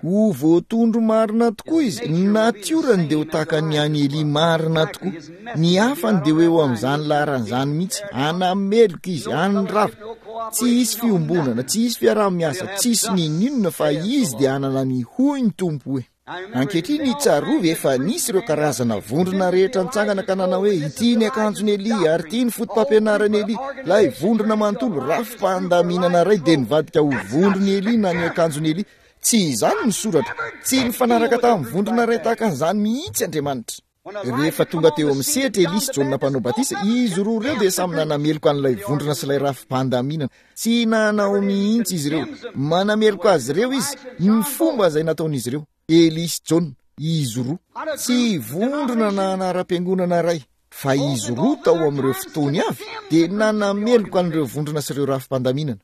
Ho voatondro marina tokoa izy. Ny natiorany dia ho tahaka ny an'i Elia marina tokoa. Ny hafany dia ho eo amin'izany laharana izany mihitsy. Hanameloka izy, handrava. Tsy hisy fiombonana, tsy hisy fiaraha-miasa, tsy hisy n'inon'inona, fa izy dia hanana ny hoy ny Tompo hoe. Ankehitriny, tsarovy, efa nisy ireo karazana vondrona rehetra nitsangana ka nanao hoe ity ny akanjon'i Elia ary ity ny foto-pampianaran'i Elia. Ilay vondrona manontolo, rafi-pandaminana iray, dia nivadika ho vondron'i Elia na ny akanjon'i Elia. Tsy izany ny soratra. Tsy nifanaraka tamin'ny vondrona iray tahaka an'izany mihitsy Andriamanitra. Rehefa tonga teo amin'ny sehatra Elia sy Jaona mpanao batisa, izy roa ireo dia samy nanameloka an'ilay vondrona sy ilay rafi-pandaminana. Tsy nanao mihitsy izy ireo. Manameloka azy ireo izy, ny fomba izay nataon'izy ireo. Elia sy Jaona, izy roa. Tsy vondrona na anaram-piangonana iray, fa izy roa tao amin'ireo fotoany avy dia nanameloka an'ireo vondrona sy ireo rafi-pandaminana.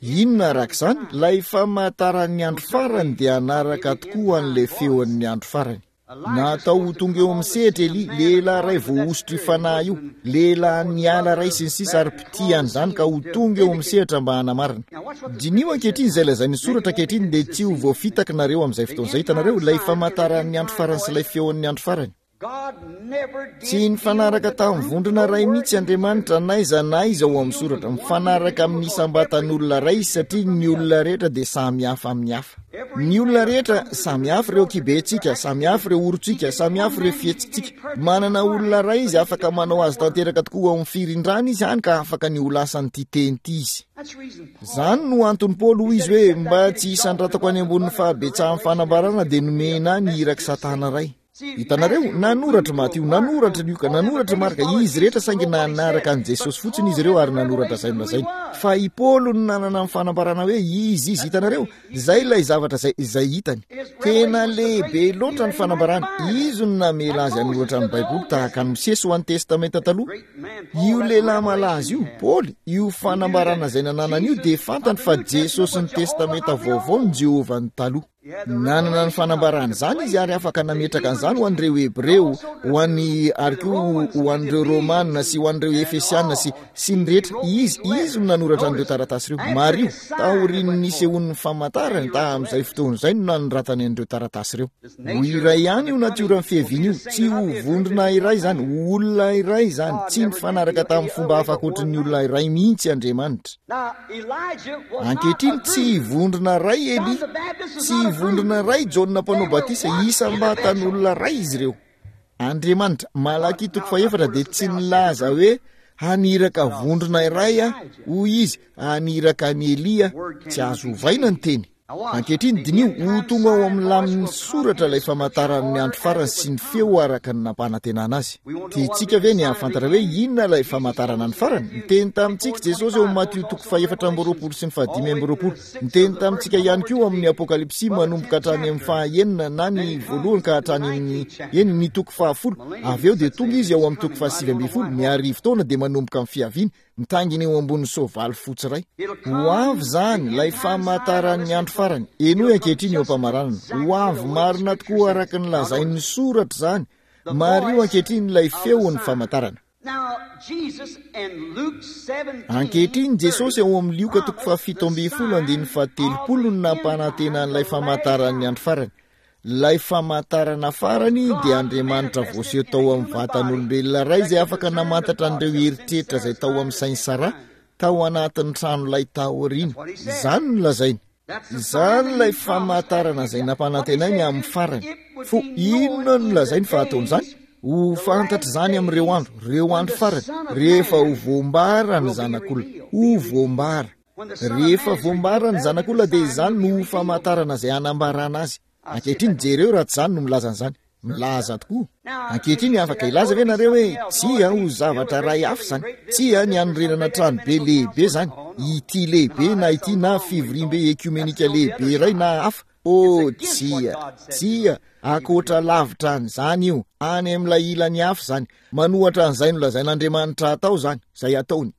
Inona araka izany? Ilay famantaran'ny andro farany dia hanaraka tokoa an'ilay feon'ny andro farany. Natao ho tonga eo amin'ny sehatra Elia, lehilahy iray voahosotry fanahy io, lehilahy niala iray sy ny sisa, ary mpitia an'izany ka ho tonga eo amin'ny sehatra mba hanamarina. Diniho ankehitriny izay lazain'ny soratra ankehitriny, dia tsy ho voafitaka nareo amin'izay fotoana izay. Hitanareo, ilay famantaran'ny andro farany sy ilay feon'ny andro farany. Tsy nifanaraka tamin'ny vondrona iray mihitsy Andriamanitra n'aiza n'aiza ao amin'ny soratra. Mifanaraka amin'ny isam-batan'olona iray izy satria ny olona rehetra dia samy hafa amin'ny hafa. Ny olona rehetra, samy hafa ireo kibentsika, samy hafa ireo orontsika, samy hafa ireo fihetsitsika. Manana olona iray izy afaka manao azy tanteraka tokoa ao amin'ny firindrana izy, hany ka afaka ny ho lasan'ity teny ity izy. Izany no anton'i Paoly, hoy izy hoe, mba tsy hisandratako any ambonin'ny fahabetsahan'ny fanambarana dia nomena ahy ny irak'i Satana iray. Hitanareo, nanoratra Matio, nanoratra Lioka, nanoratra Marka, izy rehetra saingy nanaraka an'i Jesosy fotsiny izy ireo ary nanoratra izay nolazainy. Fa i Paoly no nanana ny fanambarana hoe izy izy, hitanareo, izay ilay zavatra izay, izay hitany. Tena lehibe loatra ny fanambarana. Izy no namela azy hanoratra ny Baiboly tahaka an'i Mosesy ho an'ny Testamenta Taloha. Io lehilahy malaza io, Paoly, io fanambarana izay nananany io dia fantany fa Jesosy ny Testamenta Vaovao no Jehovah-ny taloha. Nanana ny fanambarana izany izy ary afaka nametraka an'izany ho an'ireo Hebreo, ho an'ny, ary koa ho an'ireo Romana sy ho an'ireo Efesiana sy, sy ny rehetra. Izy, izy no nanoratra an'ireo taratasy ireo. Mariho, taorian'ny nisehoan'ny famantarany, tamin'izay fotoana izay no nanoratany an'ireo taratasy ireo. Ho iray ihany io natioran'ny fiaviana io, tsy ho vondrona iray izany, ho olona iray izany. Tsy nifanaraka tamin'ny fomba hafa ankoatry ny olona iray mihitsy Andriamanitra. Ankehitriny, tsy vondrona iray Elia, tsy vondrona iray Jaona mpanao batisa, isam-batan'olona iray izy ireo. Andriamanitra, Malakia toko fahefatra dia tsy nilaza hoe haniraka vondrona iray aho, hoy izy, haniraka an'i Elia. Tsy azo ovaina ny teny. Ankehitriny, diniho, ho tonga ao amin'ny lamin'ny soratra ilay famantaran'ny andro farany sy ny feo araka ny nampanantenana azy. Tiantsika ve ny hahafantatra hoe inona ilay famantarana ny farany? Niteny tamintsika Jesosy eo amin'ny Matio toko fahefatra amby roapolo sy ny fahadimy amby roapolo. Niteny tamintsika ihany koa amin'ny Apokalypsy manomboka hatrany amin'ny fahaenina na ny voalohany ka hatrany amin'ny eny ny toko fahafolo. Avy eo dia tonga izy ao amin'ny toko fahasivy ambin'ny folo, ny arivo taona dia manomboka amin'ny fiaviany, mitaingina eo ambonin'ny soavaly fotsy iray. Ho avy izany, ilay famantaran'ny andro farany. Henoy ankehitriny eo am-pamaranana. Ho avy marina tokoa araka ny lazain'ny soratra izany. Mariho ankehitriny ilay feon'ny famantarana. Ankehitriny Jesosy ao amin'ny Lioka toko fahafito ambin'ny folo andininy fahatelopolo no nampanantena an'ilay famantaran'ny andro farany. Ilay famantarana farany dia Andriamanitra voaseho tao amin'ny vatan'olombelona iray izay afaka namantatra an'ireo eritreritra izay tao amin'ny sain'i Saraha tao anatin'ny tranolay taoriana. Izany no lazainy. Izany ilay famantarana izay nampanantenainy amin'ny farany. Fo inona no lazainy fa hataon'izany? Ho fantatra izany amin'ireo andro, ireo andro farany, rehefa ho voambara ny Zanak'olona. Ho voambara. Rehefa voambara ny Zanak'olona dia izany no ho famantarana izay hanambarana azy. Ankehitriny jereo raha tsy izany no milaza an'izany. Milaza tokoa. Ankehitriny afaka hilaza ve nareo hoe tsia, ho zavatra iray hafa izany? Tsia, ny hanorenana trano be lehibe izany, ity lehibe na ity na fivoriambe ekiomenika lehibe iray na hafa. Oh, tsia, tsia, ankoatra lavitra an'izany io, any amin'ilay ilany hafa izany. Manohatra an'izay nolazain'Andriamanitra hatao izany, izay ataony.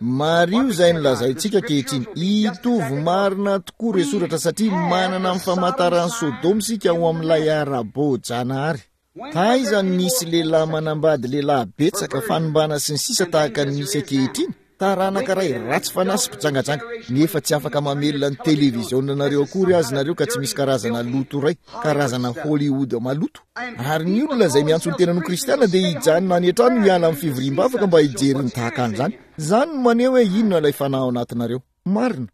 Mariho izay nolazaintsika ankehitriny. Hitovy marina tokoa ireo soratra satria manana ny famantaran'i Sodoma isika ao amin'ilay ara-boajanahary. Taiza no nisy lehilahy manambady lehilahy betsaka, fanimbana sy ny sisa tahaka ny misy ankehitriny? Taranaka iray ratsy fanahy sy mpijangajanga, nefa tsy afaka mamelona ny televizionanareo akory azy nareo ka tsy misy karazana loto iray, karazana Hollywood maloto. Ary ny olona izay miantso ny tenany ho kristiana dia hijanona any an-trano hiala amin'ny fivoriam-bavaka mba hijery ny tahaka an'izany. Izany no maneho hoe inona ilay fanahy ao anatinareo. Marina.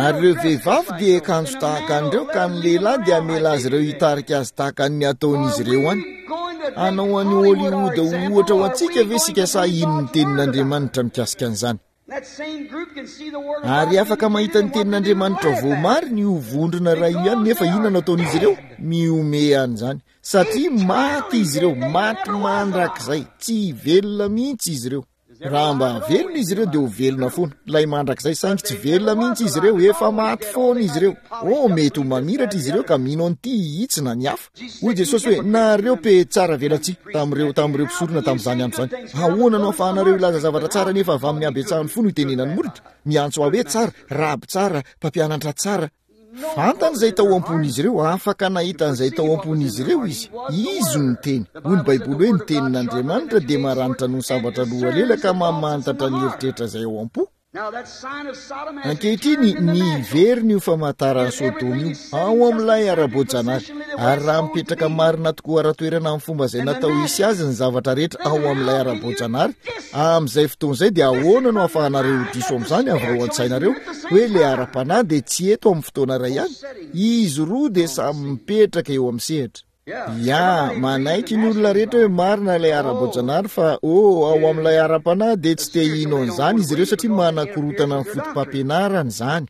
Ary ireo vehivavy dia hiakanjo tahaka an'ireo ka ny lehilahy dia hamela azy ireo hitarika azy tahaka ny ataon'izy ireo any. Hanao an'i Hollywood ho ohatra ho antsika ve isika sa hino ny tenin'Andriamanitra mikasika an'izany? Ary afaka mahita ny tenin'Andriamanitra voamarina io vondrona iray io ihany, nefa inona no ataon'izy ireo? Mihomehy an'izany. Satria maty izy ireo, maty mandrakizay, tsy velona mihitsy izy ireo. Raha mba velona izy ireo dia ho velona foana, ilay mandrakizay, saingy tsy velona mihitsy izy ireo, efa maty foana izy ireo. Oh, mety ho mamiratra izy ireo ka mino an'ity itsy na ny hafa. Hoy Jesosy hoe, nareo pe tsara velatsihy tamin'ireo, tamin'ireo mpisorona tamin'izany andro izany. Ahoana no ahafahanareo hilaza zavatra tsara nefa avy amin'ny habetsahan'ny fo no itenenan'ny molotra? Miantso ahy hoe tsara, raby tsara, mpampianatra tsara. Fantany izay tao am-pon'izy ireo, afaka nahita an'izay tao am-pon'izy ireo izy. Izy no niteny. Hoy ny Baiboly hoe ny tenin'Andriamanitra dia maranitra noho ny sabatra roa lela ka mamantatra ny eritreritra izay ao am-po. Ankehitriny, niverina io famantaran'i Sodoma io, ao amin'ilay ara-boajanahary. Ary raha mipetraka marina tokoa ara-toerana amin'ny fomba izay natao hisy azy ny zavatra rehetra ao amin'ilay ara-boajanahary, Amin'izay fotoana izay dia ahoana no ahafahanareo ho diso amin'izany avy ao an-tsainareo hoe ilay ara-panahy dia tsy eto amin'ny fotoana iray ihany? Izy roa dia samy mipetraka eo amin'ny sehatra. Ya, manaiky ny olona rehetra hoe marina ilay ara-boajanahary fa oh, ao amin'ilay ara-panahy dia tsy te hino an'izany izy ireo satria manakorotana ny foto-pampianarany izany.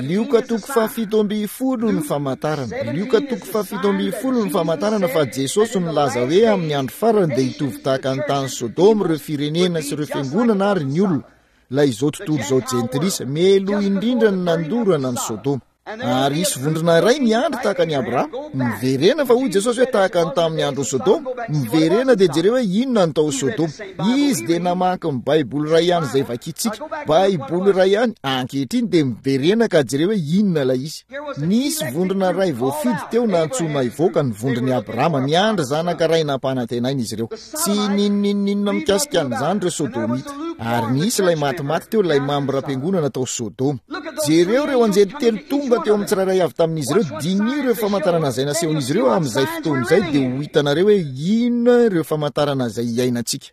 Lioka toko fahafito ambin'ny folo ny famantarana. Lioka toko fahafito ambin'ny folo ny famantarana fa Jesosy nilaza hoe amin'ny andro farany dia hitovy tahaka ny tany Sodoma ireo firenena sy ireo fiangonana ary ny olona, ilay izao tontolo izao jentilisa, meloa indrindra ny nandorana ny Sodoma. Ary hisy vondrona iray miandry tahaka an'i Abrahama. Miverena fa hoy Jesosy hoe tahaka ny tamin'ny andron'i Sodoma. Miverena dia jereo hoe inona ny tao Sodoma. Izy dia namaky ny Baiboly iray ihany izay vakintsika. Baiboly iray ihany. Ankehitriny dia miverena ka jereo hoe inona ilay izy. Nisy vondrona iray voafidy teo nantsoina hivoaka ny vondron'i Abrahama. Niandry zanaka iray nampanantenaina izy ireo. Tsy n'inon'inon'inona mikasika an'izany ireo Sodomita. Ary nisy ilay matimaty teo, ilay mambram-piangonana tao Sodoma. Jereo ireo anjely telo tonga teo amin'ny tsirairay avy tamin'izy ireo, diniho ireo famantarana izay nasehon'izy ireo amin'izay fotoana izay, dia ho hitanareo hoe inona ireo famantarana izay iainantsika.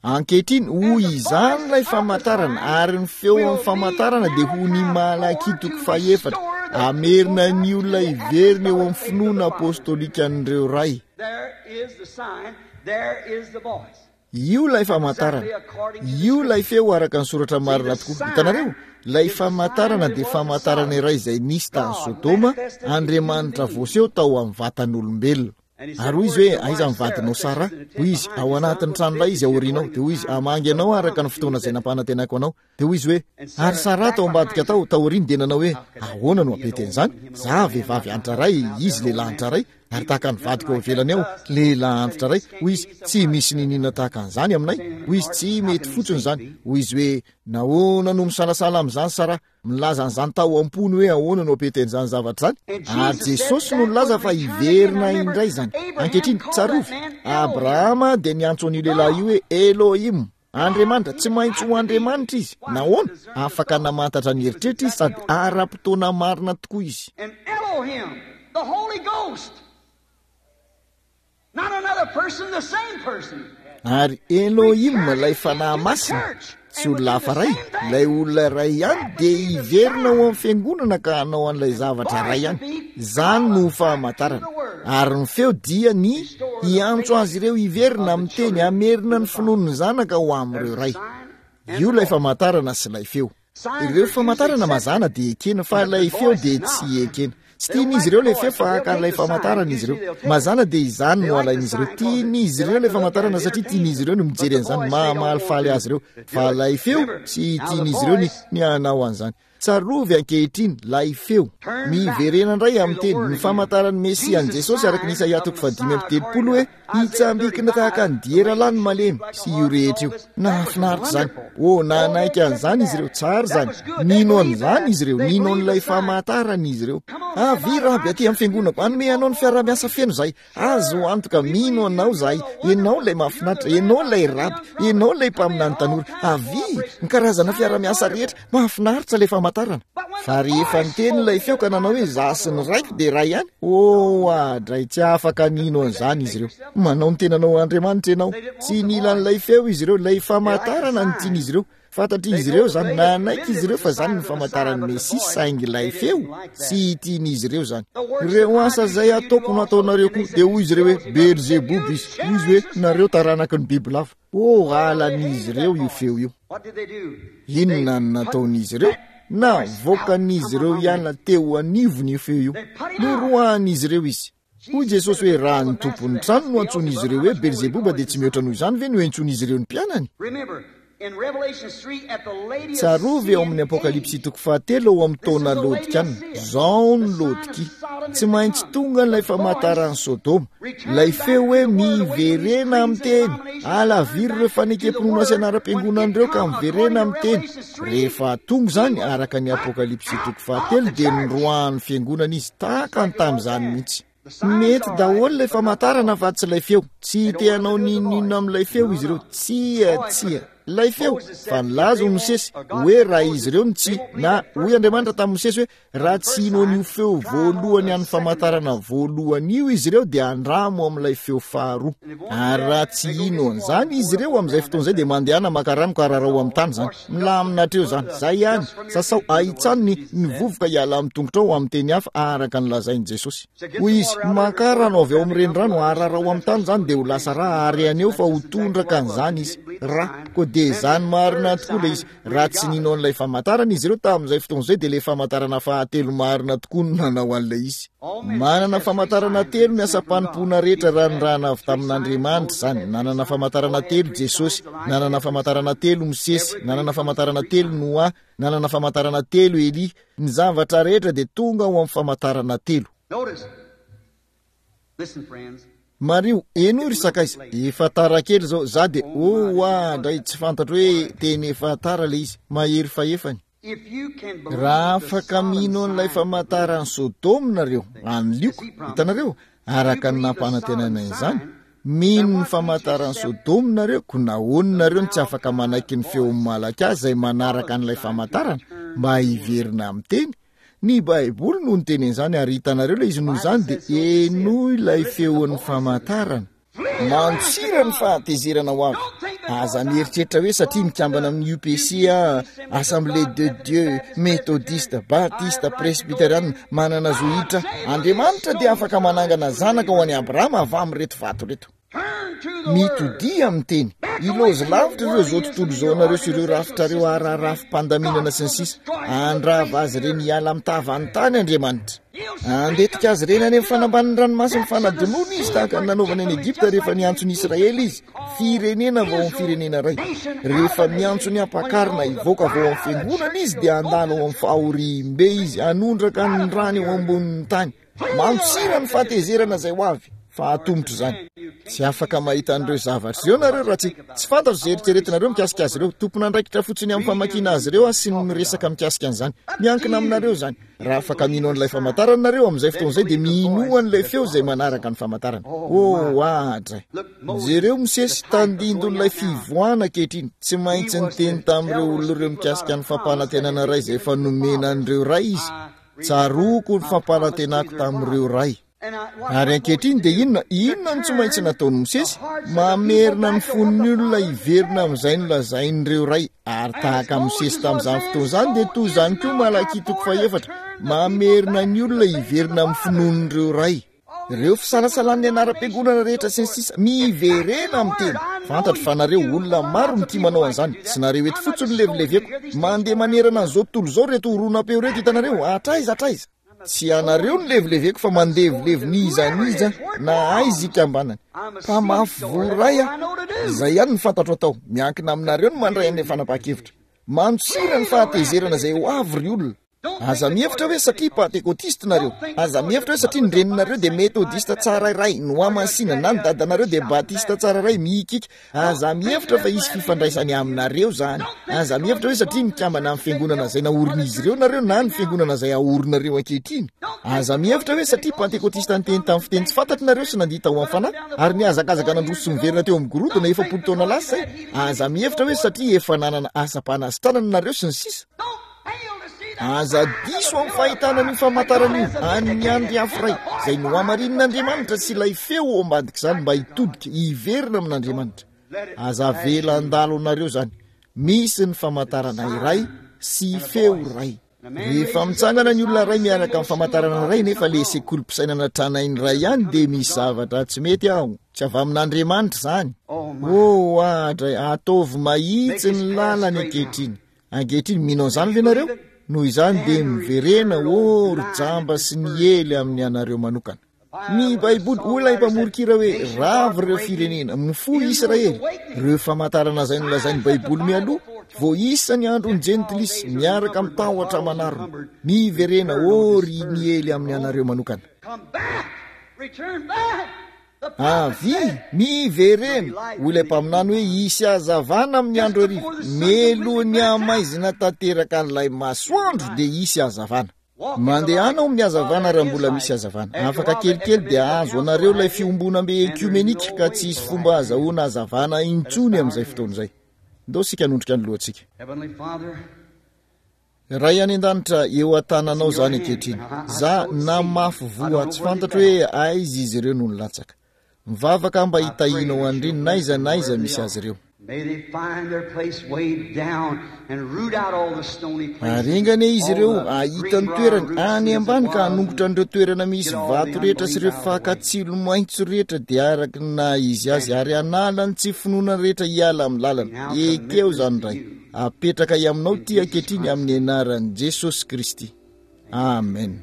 Ankehitriny, ho izany ilay famantarana, ary ny feo amin'ny famantarana dia ho ny Malakia toko fahefatra, hamerina ny olona hiverina eo amin'ny finoana apostolikan'ireo ray. Io ilay famantarana. Io ilay feo araka ny soratra marina tokoa. Hitanareo? Ilay famantarana dia famantarana iray izay nisy tany Sodoma, Andriamanitra voaseho tao amin'ny vatan'olombelona. Ary hoy izy hoe, aiza ny vadinao Sara? Hoy izy, ao anatin'ny tranolay izy aorianao. Dia hoy izy, hamangy anao araka ny fotoana izay nampanantenako anao. Dia hoy izy hoe, ary Sara tao ambadika tao, taoriany dia nanao hoe, ahoana no hampety an'izany? Za vehivavy antitra iray, izy lehilahy antitra iray, ary tahaka ny vadiko ao ivelany ao, lehilahy antitra iray. Hoy izy, tsy misy niniana tahaka an'izany aminay. Hoy izy, tsy mety fotsiny izany. Hoy izy hoe, nahoana no misalasala amin'izany Sara? Milaza an'izany tao am-pony hoe ahoana no hampety an'izany zavatra izany. Ary Jesosy no nilaza fa hiverina indray izany. Ankehitriny, tsarovy, Abrahama dia niantso an'io lehilahy io hoe Elohim, Andriamanitra. Tsy maintsy ho Andriamanitra izy. Nahoana? Afaka namantatra ny eritreritra izy sady ara-potoana marina tokoa izy. And Elohim, the Holy Ghost, not another person, the same person. Ary Elohim, ilay Fanahy Masina, tsy olona hafa iray, ilay olona iray ihany, dia hiverina ao amin'ny fiangonana ka hanao an'ilay zavatra iray ihany. Izany no famantarana. Ary ny feo dia ny hiantso azy ireo hiverina amin'ny teny, hamerina ny finoan'ny zanaka ho amin'ireo ray. Io ilay famantarana sy ilay feo. Ireo famantarana mazàna dia ekena, fa ilay feo dia tsy ekena. Tsy tian'izy ireo ilay feo fa haka an'ilay famantarana izy ireo. Mazàna dia izany no alain'izy ireo. Tian'izy ireo ilay famantarana satria tian'izy ireo ny mijery an'izany, mahamalifaly azy ireo. Fa ilay feo, tsy tian'izy ireo ny, ny hanao an'izany. Tsarovy ankehitriny ilay feo. Miverena indray amin'ny teny, ny famantaran'ny Mesia an'i Jesosy araka ny Isaia toko fahadimy amby telopolo hoe, hitsambikina tahaka ny diera lahy ny malemy sy io rehetra io. Nahafinaritra izany. Oh, nanaiky an'izany izy ireo. Tsara izany. Nino an'izany izy ireo. Nino an'ilay famantarana izy ireo. Avia raby aty amin'ny fiangonako. Hanome anao ny fiaraha-miasa feno izahay. Azo antoka, mino anao izahay. Ianao ilay mahafinaritra. Ianao ilay raby. Ianao ilay mpaminany tanora. Avia, ny karazana fiaraha-miasa rehetra. Mahafinaritra ilay famantarana. Fa rehefa niteny ilay feo ka nanao hoe izaho sy ny raiko dia iray ihany, oh, adray, tsy afaka nino an'izany izy ireo. Manao ny tenanao Andriamanitra ianao. Tsy nila an'ilay feo izy ireo, ilay famantarana no tian'izy ireo. Fantatr'izy ireo izany, nanaiky izy ireo fa izany ny famantaran'ny Mesia, saingy ilay feo, tsy tian'izy ireo izany. Ireo asa izay ataoko no ataonareo koa. Dia hoy izy ireo hoe, Belzeboba izy. Hoy izy hoe, nareo taranaky ny bibilava. Oh, halan'izy ireo io feo io. Inona no nataon'izy ireo? Navoakan'izy ireo hiala teo anivony io feo io. Noroahan'izy ireo izy. Hoy Jesosy hoe, raha ny tompon'ny trano no antsoin'izy ireo hoe Belzeboba, dia tsy mihoatra noho izany ve no entsoin'izy ireo ny mpianany? Tsarovy ao amin'ny Apokalypsy toko fahatelo ao amin'ny taona Laodikiana. Izao ny Laodikia. Tsy maintsy tonga ilay famantaran'i Sodoma. Ilay feo hoe miverena amin'ny teny. Alaviro ireo fanekem-pinoana sy anaram-piangonana ireo ka miverena amin'ny teny. Rehefa tonga izany, araka ny Apokalypsy toko fahatelo, dia noroahan'ny fiangonana izy tahaka ny tamin'izany mihitsy. Mety daholo ilay famantarana fa tsy ilay feo. Tsy te hanao n'inon'inona amin'ilay feo izy ireo. Tsia, tsia. Ilay feo. Fa nilaza ho Mosesy hoe raha izy ireo no tsy, na hoy Andriamanitra tamin'i Mosesy hoe raha tsy hino an'io feo voalohany an'ny famantarana voalohany io izy ireo dia andramo amin'ilay feo faharoa. Ary raha tsy hino an'izany izy ireo amin'izay fotoana izay dia mandehana maka rano ka rarao amin'ny tany izany. Milamina hatreo izany. Izay ihany. Sasao ahitsano ny, ny vovoka hiala amin'ny tongotrao amin'ny teny hafa araka ny lazain'i Jesosy. Hoy izy, makà rano avy ao amin'ny renirano, ararao amin'ny tany izany dia ho lasa rà, ary haneho fa ho tondraka an'izany izy. Rà. Koa dia izany marina tokoa ilay izy. Raha tsy nino an'ilay famantarana izy ireo tamin'izay fotoana izay, dia ilay famantarana fahatelo marina tokoa no nanao an'ilay izy. Manana famantarana telo ny asam-panompoana rehetra raha nirahana avy tamin'Andriamanitra izany. Nanana famantarana telo Jesosy, nanana famantarana telo Mosesy, nanana famantarana telo Noa, nanana famantarana telo Elia. Ny zavatra rehetra dia tonga ao amin'ny famantarana telo. Mariho, henoy ry sakaiza, efa tara kely izao, za dia, oh, oa, ndray tsy fantatro hoe teny efa tara ilay izy, mahery fahefany. Raha afaka mino an'ilay famantaran'i Sodoma nareo, an'i Lioka, hitanareo, araka ny nampanantenaina izany, mino ny famantaran'i Sodoma nareo, koa nahoana nareo no tsy afaka manaiky ny feon'i Malakia izay manaraka an'ilay famantarana, mba hiverina amin'ny teny? Ny Baiboly no niteny an'izany, ary hitanareo ilay izy, noho izany dia henoy ilay feon'ny famantarana. Mandosira ny fahatezerana ho avy. Aza mieritreritra hoe satria mikambana amin'ny U P C aho, Assemblée de Dieu, Metodista, Batista, Presbyteriana, manana zo hiditra. Andriamanitra dia afaka manangana zanaka ho an'i Abrahama avy amin'ireto vato ireto. Mitodia amin'ny teny. Ilaozy lavitra ireo zao tontolo izao anareo sy ireo rafitrareo ararafim-pandaminana sy ny sisa. Andrava azy ireny hiala amin'ny tavan'ny tany Andriamanitra. Andetika azy ireny any amin'ny fanambanin'ny ranomasina fanadinoana izy, tahaka ny nanaovany any Egypta rehefa niantso ny Israely izy, firenena vao amin'ny firenena iray. Rehefa miantso ny ampakarina hivoaka vao amin'ny fiangonana izy, dia handalo ao amin'ny fahoriambe izy, hanondraka ny rany eo ambonin'ny tany. Mandosira ny fahatezerana izay ho avy, fa atomotra izany. Tsy afaka mahita an'ireo zavatra ireo nareo raha tsy tsy fantatro izay eritreretinareo mikasika azy ireo. Tompon'andraikitra fotsiny amin'ny famakiana azy ireo aho sy ny miresaka mikasika an'izany. Miankina aminareo izany. Raha afaka mino an'ilay famantarana nareo amin'izay fotoana izay, dia minoa an'ilay feo izay manaraka ny famantarana. Oh, adray. Jereo Mosesy, tandindon'ilay fivoahana ankehitriny. Tsy maintsy niteny tamin'ireo olona ireo mikasika ny fampanantenana iray izay efa nomena an'ireo ray izy. Tsaroako ny fampanantenako tamin'ireo ray. Ary ankehitriny dia inona? Inona no tsy maintsy nataon'i Mosesy? Mamerina ny fon'ny olona hiverina amin'izay nolazain'ireo ray. Ary tahaka Mosesy tamin'izany fotoana izany, dia toy izany koa Malakia toko fahefatra. Mamerina ny olona hiverina amin'ny finoan'ireo ray. Ireo fisalasalan'ny anaram-piangonana rehetra sy ny sisa, miverena amin'ny teny. Fantatro fa nareo olona maro no tia manao an'izany. Tsy nareo eto fotsiny no levileveko. Mandeha manerana an'izao tontolo izao ireto horonam-peo ireto, hitanareo, hatraiza hatraiza. Tsy ianareo no levileveko fa mandevilevy n'iza n'iza na aiza ikambanany. Mpamafy voa iray aho. Izay ihany no fantatro atao. Miankina aminareo no mandray an'ilay fanapahan-kevitra. Mandosira ny fahatezerana izay ho avy ry olona. Aza mihevitra hoe satria pantekotista nareo. Aza mihevitra hoe satria ny reninareo dia metodista tsara iray, nohamasina, na ny dadanareo dia batista tsara iray, mihikika. Aza mihevitra fa hisy fifandraisany aminareo izany. Aza mihevitra hoe satria mikambana amin'ny fiangonana izay naorin'izy ireo nareo na ny fiangonana izay aorinareo ankehitriny. Aza mihevitra hoe satria pantekotista niteny tamin'ny fiteny tsy fantatro nareo sy nandihy tao amin'ny fanahy ary nihazakazaka nandroso sy niverina teo amin'ny gorodona efapolo taona lasa izay. Aza mihevitra hoe satria efa nanana asam-panasitranana nareo sy ny sisa. Aza diso amin'ny fahitana an'io famantarana io an'ny andry afo iray izay nohamarinin'Andriamanitra sy ilay feo ao ambadik'izany mba hitodika hiverina amin'Andriamanitra. Aza avela handalo anareo izany. Misy ny famantarana iray sy feo iray. Rehefa mitsangana ny olona iray miaraka amin'ny famantarana iray nefa le sekolim-pisainana tranainy iray ihany, dia misy zavatra tsy mety ao. Tsy avy amin'Andriamanitra izany. Oh, adray, ataovy mahitsy ny lalany ankehitriny. Ankehitriny, mino an'izany ve nareo? Noho izany dia miverena, oh, ry jamba sy ny ely amin'ny anareo manokana. Ny Baiboly, hoy ilay mpamoron-kira hoe, ravo ireo firenena, mifoha Israely. Ireo famantarana izay nolazain'ny Baiboly mialoha, voaisa ny andron'ny Jentilisy, miaraka amin'ny tahotra aman'arona. Miverena, oh, ry ny ely amin'ny anareo manokana. Avia, miverena, hoy ilay mpaminany hoe hisy hazavana amin'ny andro hariva. Melohin'ny hamaizina tanteraka an'ilay masoandro dia hisy hazavana. Mandehana ao amin'ny hazavana raha mbola misy hazavana. Afaka kelikely dia hahazo anareo ilay fiombonambe ekiomenika ka tsy hisy fomba hahazahoana hazavana intsony amin'izay fotoana izay. Ndao isika hanondrika ny lohantsika. Ray any an-danitra, eo an-tananao izany ankehitriny. Za namafy voa, tsy fantatro hoe aiza izy ireo no nilatsaka. Mivavaka aho mba hitahianao an'ireny n'aiza n'aiza misy azy ireo. Ary enga anie izy ireo hahita ny toerany any ambany ka hanongotra an'ireo toerana misy vato rehetra sy ireo fakan-tsilo maitso rehetra dia araka ny naha izy azy ary hanala ny tsy finoana rehetra hiala amin'ny lalana. Ekeo izany, Ray. Apetraka aminao ity ankehitriny amin'ny anaran'i Jesosy Kristy. Amen.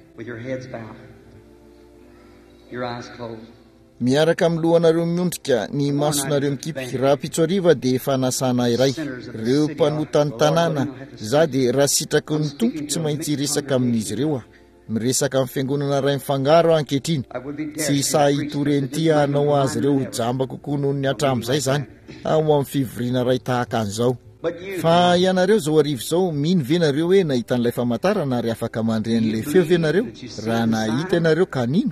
Miaraka amin'ny lohanareo miondrika, ny masonareo mikipy, rahampitso hariva dia fanasana iray. Ireo mpanota ny tanàna, za dia raha sitraky ny Tompo tsy maintsy hiresaka amin'izy ireo aho. Miresaka amin'ny fiangonana iray mifangaro aho ankehitriny. Tsy sahy hitory an'ity aho hanao azy ireo ho jamba kokoa noho ny hatramin'izay izany, ao amin'ny fivoriana iray tahaka an'izao. Fa ianareo izao hariva izao, mino ve nareo hoe nahita an'ilay famantarana ary afaka mandre an'ilay feo ve nareo? Raha nahita ianareo ka nino.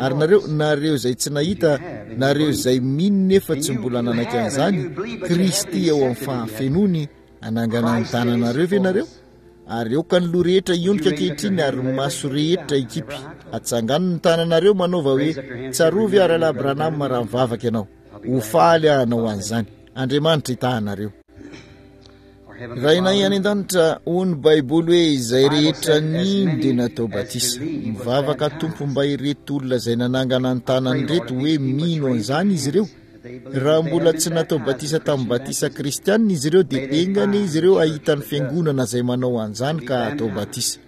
Ary nareo, nareo izay tsy nahita, nareo izay mino nefa tsy mbola nanaiky an'izany, Kristy ao amin'ny fahafenoany, hanangana ny tananareo ve nareo? Ary aoka ny loha rehetra hiondrika ankehitriny ary ny maso rehetra hikipy. Atsangano ny tananareo manaova hoe, Tsarovy aho Rahalahy Branham raha mivavaka ianao. Ho faly aho hanao an'izany. Andriamanitra hitaha anareo. Rainay any an-danitra, hoy ny Baiboly hoe izay rehetra nino dia natao batisa. Mivavaka Tompo mba ireto olona izay nanangana ny tanany ireto hoe mino an'izany izy ireo. Raha mbola tsy natao batisa tamin'ny batisa kristianina izy ireo, dia enga anie izy ireo hahita ny fiangonana izay manao an'izany ka hatao batisa.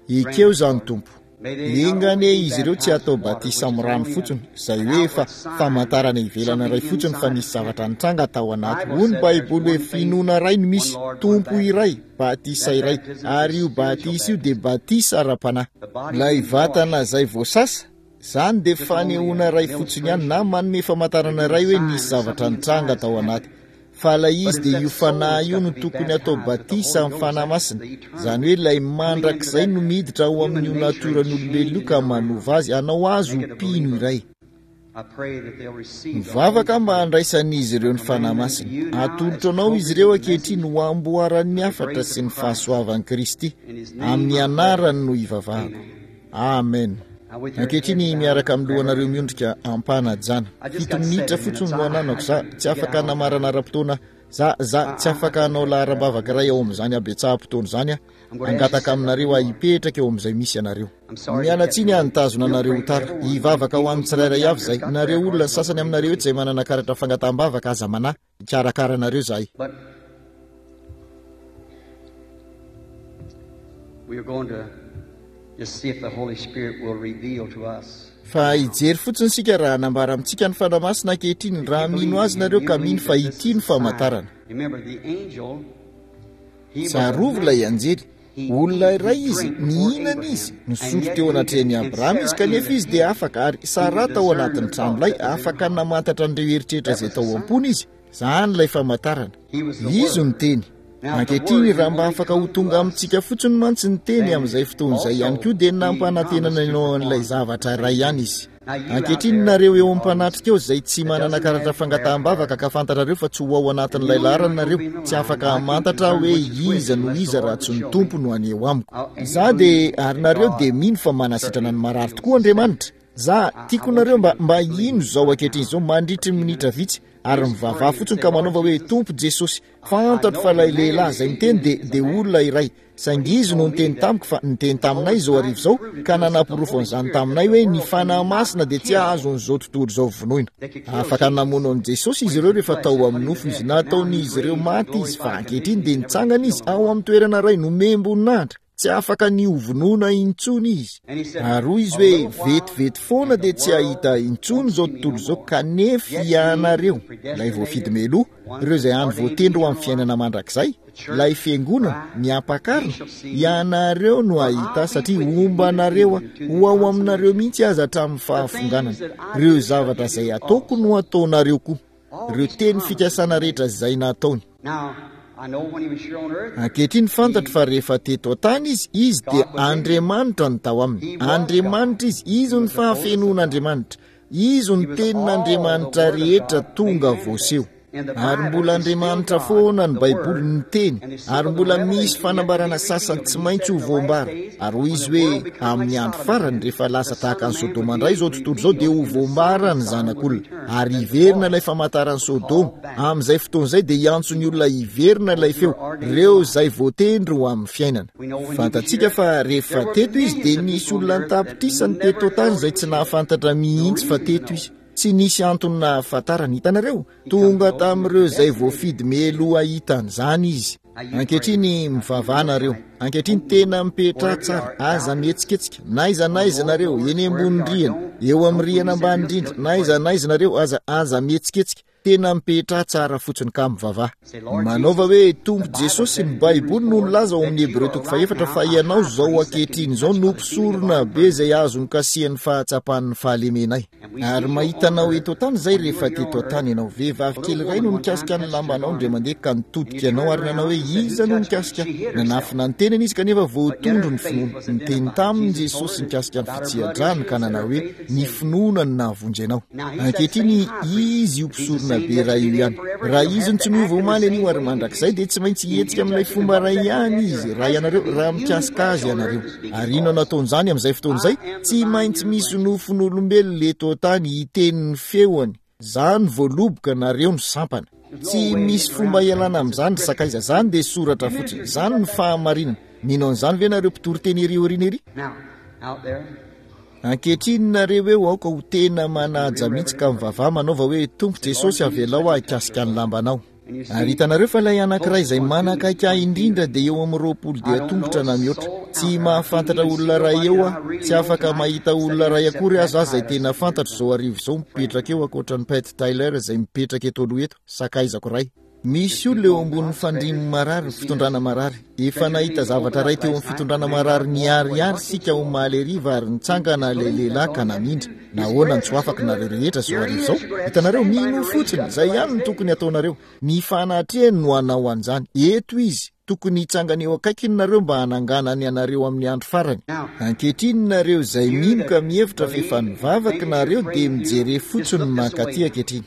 Ekeo izany, Tompo. Enga anie izy ireo tsy hatao batisa amin'ny rano fotsiny, izay hoe efa famantarana ivelana iray fotsiny fa nisy zavatra nitranga tao anaty. Hoy ny Baiboly hoe finoana iray no misy, Tompo iray, batisa iray, ary io batisa io dia batisa ara-panahy. Ilay vatana izay voasasa, izany dia fanehoana iray fotsiny ihany na manome famantarana iray hoe nisy zavatra nitranga tao anaty. Fa ilay izy dia io fanahy io no tokony atao batisa amin'ny Fanahy Masina, izany hoe ilay mandrakizay no miditra ao amin'io natioran'olombelona io ka manova azy, hanao azy ho mpino iray. Mivavaka mba handraisan'izy ireo ny Fanahy Masina. Atolotro anao izy ireo ankehitriny ho amboaran'ny hafatra sy ny fahasoavan'i Kristy. Amin'ny anarany no ivavahako. Amen. Ankehitriny miaraka amin'ny lohanareo miondrika ampanajana. Fito minitra fotsiny no ananako. Za tsy afaka namarana ara-potoana. Za, za tsy afaka hanao laharam-bavaka iray ao amin'izany habetsaham-potoana izany aho. Hangataka aminareo aho hipetraka eo amin'izay misy anareo. Miala tsiny aho nitazona anareo ho tara. Hivavaka ho an'ny tsirairay avy izay. Nareo olona, ny sasany aminareo eto izay manana karatra fangataham-bavaka, aza manahy. Hikarakara anareo izahay. We are going to just see if the Holy Spirit will reveal to us. Fa hijery fotsiny isika raha hanambara amintsika ny Fanahy Masina ankehitriny, raha mino azy nareo ka mino fa ity no famantarana. Remember the angel, he was a Tsarovy ilay man. anjely. He Olona ate, he iray izy, drank before nihinana Abraham, izy, and nisotro yet teo knew anatrehan'i and Abrahama izy, Sarah in kanefa the izy dia tent, afaka, ary he would Sarah tao discern anatin'ny the trano thought lay, that was in her afaka heart. namantatra an'ireo eritreritra That izay was the tao sign. am-pony izy. Izany ilay famantarana. He was the Izy no Word. teny. Now, if the Ankehitriny, Word raha would mba only afaka ho come to tonga us, amintsika fotsiny mantsy ny teny then amin'izay fotoana izay ihany also koa dia he nampanantenana promised to anao an'ilay perform zavatra the iray same ihany thing. izy. Now, you out Ankehitriny, there nareo in eo the am-panatrika audience eo izay tsy that manana doesn't karatra have prayer fangataham-bavaka cards, ka fantatrareo fa tsy ho ao and you anatin'ilay know you're not laharana gonna nareo, be in the tsy line, afaka I can't hamantatra discern hoe which is which iza no unless the iza Lord raha would tsy ny show me. Tompo no haneho amiko. Oh, and you Za dia, believe ary that nareo God dia mino fa manasitrana certainly ny marary heals tokoa the sick. Andriamanitra. Za, I, I tiako want nareo you mba, to mba hino believe izao right ankehitriny now izao for a mandritry ny few minitra minutes. vitsy, ary Just mivavaha pray and fotsiny say, ka Lord manaova hoe, Jesus, Tompo Jesosy, I fantatro know fa the ilay man lehilahy is izay miteny dia, is a dia man. olona iray. But he Saingy izy no told me niteny that tamiko fa niteny the taminay Holy izao Spirit hariva izao proved it ka to us that the nanaporofo Holy an'izany Spirit that taminay the hoe ny world Fanahy cannot Masina dia tsy kill. azon'izao tontolo izao vonoina. They could kill Afaka Jesus namono an'i Jesosy when izy he ireo was in rehefa flesh tao and put amin'ny him to nofo izy. death. But now he's Nataon'izy ireo raised in maty izy fa glorified ankehitriny condition. dia He's never been nitsangana izy killed no ao more. amin'ny toerana iray nomem-boninahitra. Tsy afaka ny ho vonoina intsony izy. And he said, Ary hoy izy A hoe, little while vetivety foana and dia the tsy world hahita intsony won't izao see me tontolo no izao, more. kanefa Yet ye, ianareo, the ilay voafidy predestinated meloa, ones ireo izay hany ordained voatendry ho eternal amin'ny fiainana life, mandrakizay, the church, ilay fiangonana, bride, ny ye ampakarina, shall see me, ianareo no for hahita I'll be satria with you homba even anareo aho, unto the ho ao aminareo consummation. mihitsy aza hatramin'ny The fahafonganana. things that I Ireo do shall zavatra you izay do ataoko also. no ataonareo koa. All Ireo these teny promises fikasana he rehetra made. izay nataony. Now, I know when he was here on earth, Ankehitriny fantatro he fa rehefa teto an-tany izy, izy dia God was in him. Andriamanitra no tao aminy. He was God. Andriamanitra izy, izy He no was the fullness of God. fahafenoan'Andriamanitra. Izy no He was all the tenin'Andriamanitra Word of rehetra God made tonga manifest. voaseho. And the Ary Bible mbola is still Andriamanitra God, foana ny the Baiboly Word, ny teny, and the seal ary of the mbola misy revelation yet to be fanambarana sasany revealed. tsy And he maintsy said ho in the last voambara. days, Ary hoy when izy the hoe, world becomes like amin'ny andro Sodom farany, again, rehefa the lasa Son tahaka of an'i Man Sodoma would indray be izao tontolo izao dia revealed, ho and the sons voambara of ny Sodom would zanak'olona. return, Ary that the hiverina ilay voice famantaran'i will Sodoma. call back Amin'izay fotoana izay dia hiantso ny olona hiverina ilay those who feo, are ordained to ireo life. izay voatendry ho amin'ny fiainana. We know when he was Fantatsika here, fa rehefa there were teto izy millions dia of nisy people on the olona earth that an-tapitrisany never teto an-tany thought izay he tsy was here. nahafantatra No mihitsy fa reason to teto know. izy. Tsy nisy antony nahafantarana, hitanareo? He come to Tonga those who were tamin'ireo izay predestinated. voafidy meloa hahita an'izany izy. Now you pray Ankehitriny a few mivavaha minutes nareo. tonight. Ankehitriny Don't tena move. mipetraha Wherever you tsara, are, aza balconies, mihetsiketsika. Na aiza na on aiza lower nareo, floors, eny wherever ambony you are, rihana, don't eo amin'ny don't move. rihana He said ambany he'll indrindra, he'll na aiza pray. na aiza nareo, aza aza mihetsiketsika. Tena mipetraha tsara fotsiny ka mivavaha. Say, Lord Manaova Jesus, hoe, the Tompo Bible Jesosy, said ny in Hebrews Baiboly no four nilaza ao that amin'ny you Hebreo are toko right fahefatra now fa a ianao high izao priest that can be ankehitriny izao touched no by the feeling of mpisorona our be infirmities. izay azo nokasihan'ny fahatsapan'ny fahalemenay. And we Ary see you mahita on anao earth eto an-tany izay when you rehefa were here teto on an-tany earth. ianao. Vehivavy A kely little iray no woman one time nikasika ny touched your lambanao garment, indray mandeha ka and you nitodika anao turned ary nanao around hoe and said, Who iza no touched me? nikasika? She hid herself. Nanafina ny tenany izy kanefa But yet voatondro her ny faith finoana. was Niteny identified. taminy Jesus told Jesosy her nikasika ny about her blood fitsiha-drano issue ka and said nanao her hoe faith had ny saved her. finoana no nahavonjy anao. Now he's that Ankehitriny same high priest. izy io If he's the mpisorona same be iray io yesterday, ihany. and forever, Raha he'll izy have no to tsy act miova in the omaly same anio ary way he mandrakizay did. dia tsy maintsy If you hihetsika amin'ilay touch him fomba and what iray does that ihany do? izy. There Raha has to ianareo, be raha human mikasika flesh azy on ianareo. earth to speak his Ary inona voice. nataon'izany amin'izay fotoana I izay? am the Tsy vine, maintsy you're the misy branches. nofon'olombelona eto an-tany hiteny ny feony. Zany voaloboka nareo ny sampana. There's no Tsy way misy getting fomba around that. ialana It's a amin'izany ry scripture. sakaiza. Zany dia soratra You fotsiny. ministers, you Zany got ny that? fahamarinana. Mino an'izany ve nareo mpitory teny ery aoriana ery? Now, out there, Ankehitriny nareo eo aoka ho tena manaja mihitsy ka mivavaha manaova hoe Tompo Jesosy avelao aho hikasika ny lambanao. Ary hitanareo fa ilay anankiray izay manakaiky ahy indrindra dia eo amin'ny roapolo dia tongotra na mihoatra. Tsy mahafantatra olona iray eo aho, tsy afaka mahita olona iray akory aza aho izay tena fantatro izao hariva izao mipetraka eo ankoatra an'i Pat Tyler izay mipetraka eto aloha eto, sakaizako iray. Misy olona eo ambonin'ny fandrian'ny marary, fitondrana marary. Efa nahita zavatra iray teo amin'ny fitondrana marary niharihary isika omaly hariva ary nitsangana ilay lehilahy ka namindra. Nahoana no tsy ho afaka nareo rehetra izao hariva izao? Hitanareo, minoa fotsiny, izay ihany no tokony hataonareo. Ny fanatrehany no hanao an'izany. Eto izy, tokony hitsangana eo akaikiny nareo mba hananganany anareo amin'ny andro farany. Ankehitriny nareo izay mino ka mihevitra fa efa nivavaka nareo dia mijere fotsiny mankaty ankehitriny.